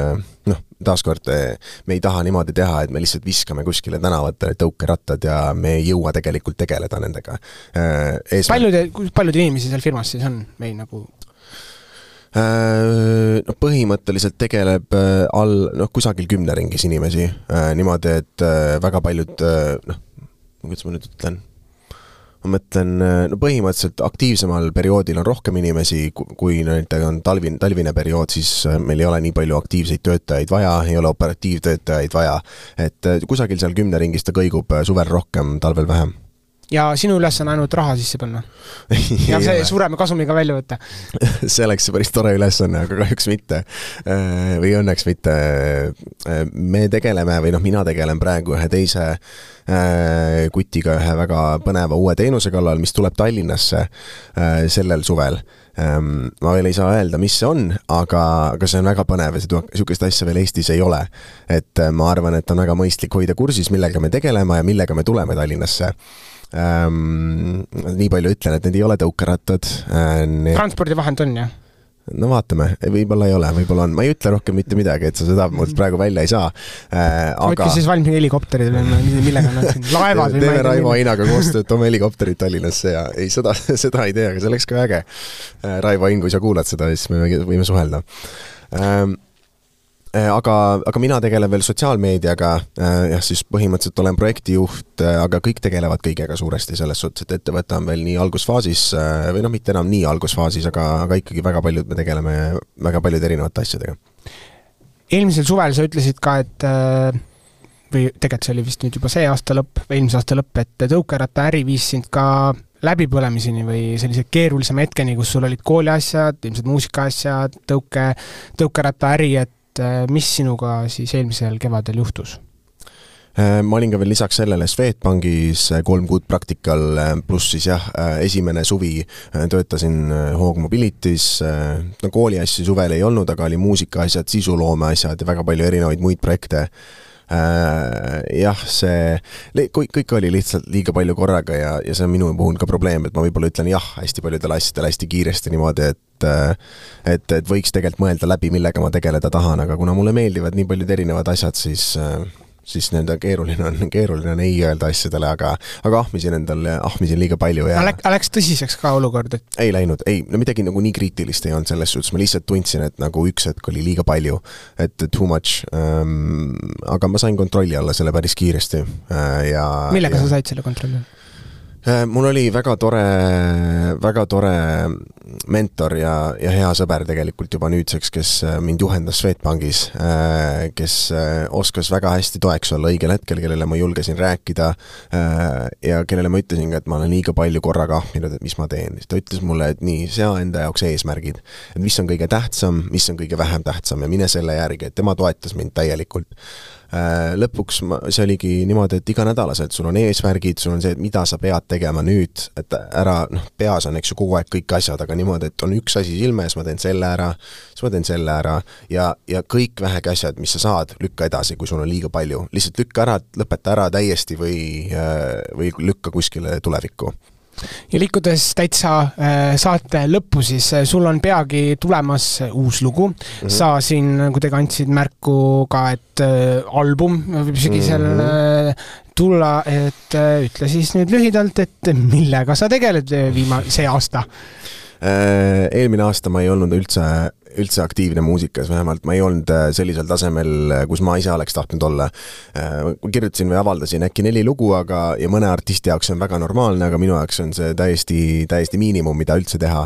noh, taaskord me ei taha niimoodi teha, et me lihtsalt viskame kuskile tänavatele tõukerattad ja me ei jõua tegelikult tegeleda nendega. Eesmärk... Paljude, paljude inimesi seal firmas siis on meil nagu... No, põhimõtteliselt tegeleb all no, kusagil kümne ringis inimesi niimoodi, et väga paljud noh, kuidas ma nüüd ütlen ma mõtlen, no põhimõtteliselt aktiivsemal perioodil on rohkem inimesi, kui on talvin, talvine periood, siis meil ei ole nii palju aktiivseid töötajaid vaja, ei ole operatiivtöötajaid vaja, et kusagil seal kümne ringis ta kõigub suvel rohkem, talvel vähem. ja sinu üles on ainult raha sisse panna. ja see suurema kasumiga välja võtta. see oleks päris tore ülesanne, aga kahjuks mitte. Või õnneks mitte. Me tegeleme, või noh, mina tegelen praegu ühe teise kutiga ühe väga põneva uue teenuse kallal, mis tuleb Tallinnasse sellel suvel. Ma veel ei saa öelda, mis see on, aga, aga see on väga põnev ja sihukest asja veel Eestis ei ole. Et ma arvan, et on väga mõistlik hoida kursis, millega me tegeleme ja millega me tuleme Tallinnasse. Ähm, nii palju ütlen, et need ei ole tõukerattad. Need... Transpordivahend on, jah? No vaatame, võib-olla ei ole, võib-olla on. Ma ei ütle rohkem mitte midagi, et sa seda mult praegu välja ei saa. Äh, aga... Võtke siis valmis helikopterid või millega nad siin laevad või teeme Raivo Ainaga koostööd, toome helikopterid Tallinnasse ja ei, seda, seda ei tee, aga see oleks ka äge. Raivo Ain, kui sa kuulad seda, siis me võime suhelda. Ähm, Aga, aga mina tegelen veel sotsiaalmeediaga, jah, siis põhimõtteliselt olen projektijuht, aga kõik tegelevad kõigega suuresti selles suhtes, et ettevõte on veel nii algusfaasis, või noh, mitte enam nii algusfaasis, aga, aga ikkagi väga paljud me tegeleme väga paljud erinevate asjadega. Eelmisel suvel sa ütlesid ka, et või tegelikult see oli vist nüüd juba see aasta lõpp, või eelmise aasta lõpp, et tõukeratta äri viis sind ka läbipõlemiseni või sellise keerulisema hetkeni, kus sul olid kooliasjad, ilmselt muusikaasjad, tõuke, tõukeratta äri, et mis sinuga siis eelmisel kevadel juhtus? Ma olin ka veel lisaks sellele Swedbankis kolm kuud praktikal, pluss siis jah, esimene suvi töötasin Hoog Mobilitis, no kooli asju suvel ei olnud, aga oli muusika asjad, sisuloome asjad ja väga palju erinevaid muid projekte. Jah, see kõik oli lihtsalt liiga palju korraga ja, ja see on minu puhul ka probleem, et ma võib-olla ütlen jah hästi paljudel asjadel hästi kiiresti niimoodi, et et, et võiks tegelikult mõelda läbi, millega ma tegeleda tahan, aga kuna mulle meeldivad nii paljud erinevad asjad, siis siis nende keeruline on, keeruline on ei öelda asjadele, aga, aga ahmisin endale, ahmisin liiga palju. Ja... Läks, läks tõsiseks ka olukord? Et... Ei läinud, ei, no midagi nagu nii kriitilist ei olnud selles suhtes, ma lihtsalt tundsin, et nagu üks hetk oli liiga palju, et too much, ähm, aga ma sain kontrolli alla selle päris kiiresti. Äh, ja, millega ja... sa said selle kontrolli? Mul oli väga tore, väga tore mentor ja, ja hea sõber tegelikult juba nüüdseks, kes mind juhendas Swedbankis, kes oskas väga hästi toeks olla õigel hetkel, kellele ma julgesin rääkida ja kellele ma ütlesin ka, et ma olen liiga palju korraga ahminud, et mis ma teen. Ta ütles mulle, et nii, sea enda jaoks eesmärgid, et mis on kõige tähtsam, mis on kõige vähem tähtsam ja mine selle järgi, et tema toetas mind täielikult. Lõpuks ma, see oligi niimoodi, et iga nädalaselt sul on eesmärgid, sul on see, et mida sa pead tegema nüüd, et ära, noh, peas on eks ju kogu aeg kõik asjad, aga niimoodi, et on üks asi silme ees, ma teen selle ära, siis ma teen selle ära ja, ja kõik vähegi asjad, mis sa saad, lükka edasi, kui sul on liiga palju. Lihtsalt lükka ära, lõpeta ära täiesti või, või lükka kuskile tulevikku. Ja liikudes täitsa saate lõppu, siis sul on peagi tulemas uus lugu. Mm-hmm. Sa siin kuidagi andsid märku ka, et album võib sügisel mm-hmm. tulla, et ütle siis nüüd lühidalt, et millega sa tegeled viima see aasta? Eelmine aasta ma ei olnud üldse üldse aktiivne muusikas, vähemalt ma ei olnud sellisel tasemel, kus ma ise oleks tahtnud olla. Kirjutasin või avaldasin äkki neli lugu, aga, ja mõne artisti jaoks on väga normaalne, aga minu jaoks on see täiesti, täiesti miinimum, mida üldse teha.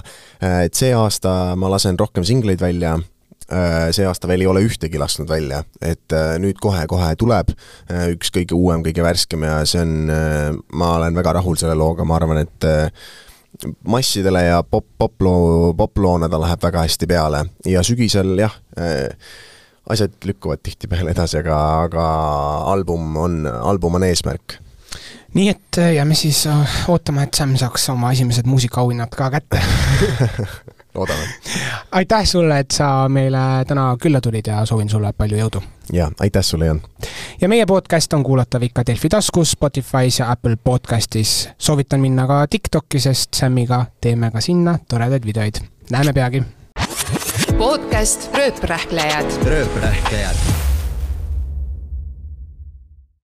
Et see aasta ma lasen rohkem singleid välja, see aasta veel ei ole ühtegi lasknud välja, et nüüd kohe-kohe tuleb üks kõige uuem, kõige värskem ja see on, ma olen väga rahul selle looga, ma arvan, et massidele ja pop, poploo, poploona ta läheb väga hästi peale ja sügisel jah, asjad lükkuvad tihti peale edasi, aga, aga album on, album on eesmärk. Nii et jääme siis ootama, et Sam saaks oma esimesed muusikaauhinnad ka kätte. Loodame. Aitäh sulle, et sa meile täna külla tulid ja soovin sulle palju jõudu. Ja, aitäh sulle, Jan. Ja meie podcast on kuulatav ikka Delfi taskus, Spotify's ja Apple podcastis. Soovitan minna ka TikToki, sest Samiga teeme ka sinna toredaid videoid. Näeme peagi. Podcast Rööprähklejad. Rööprähklejad.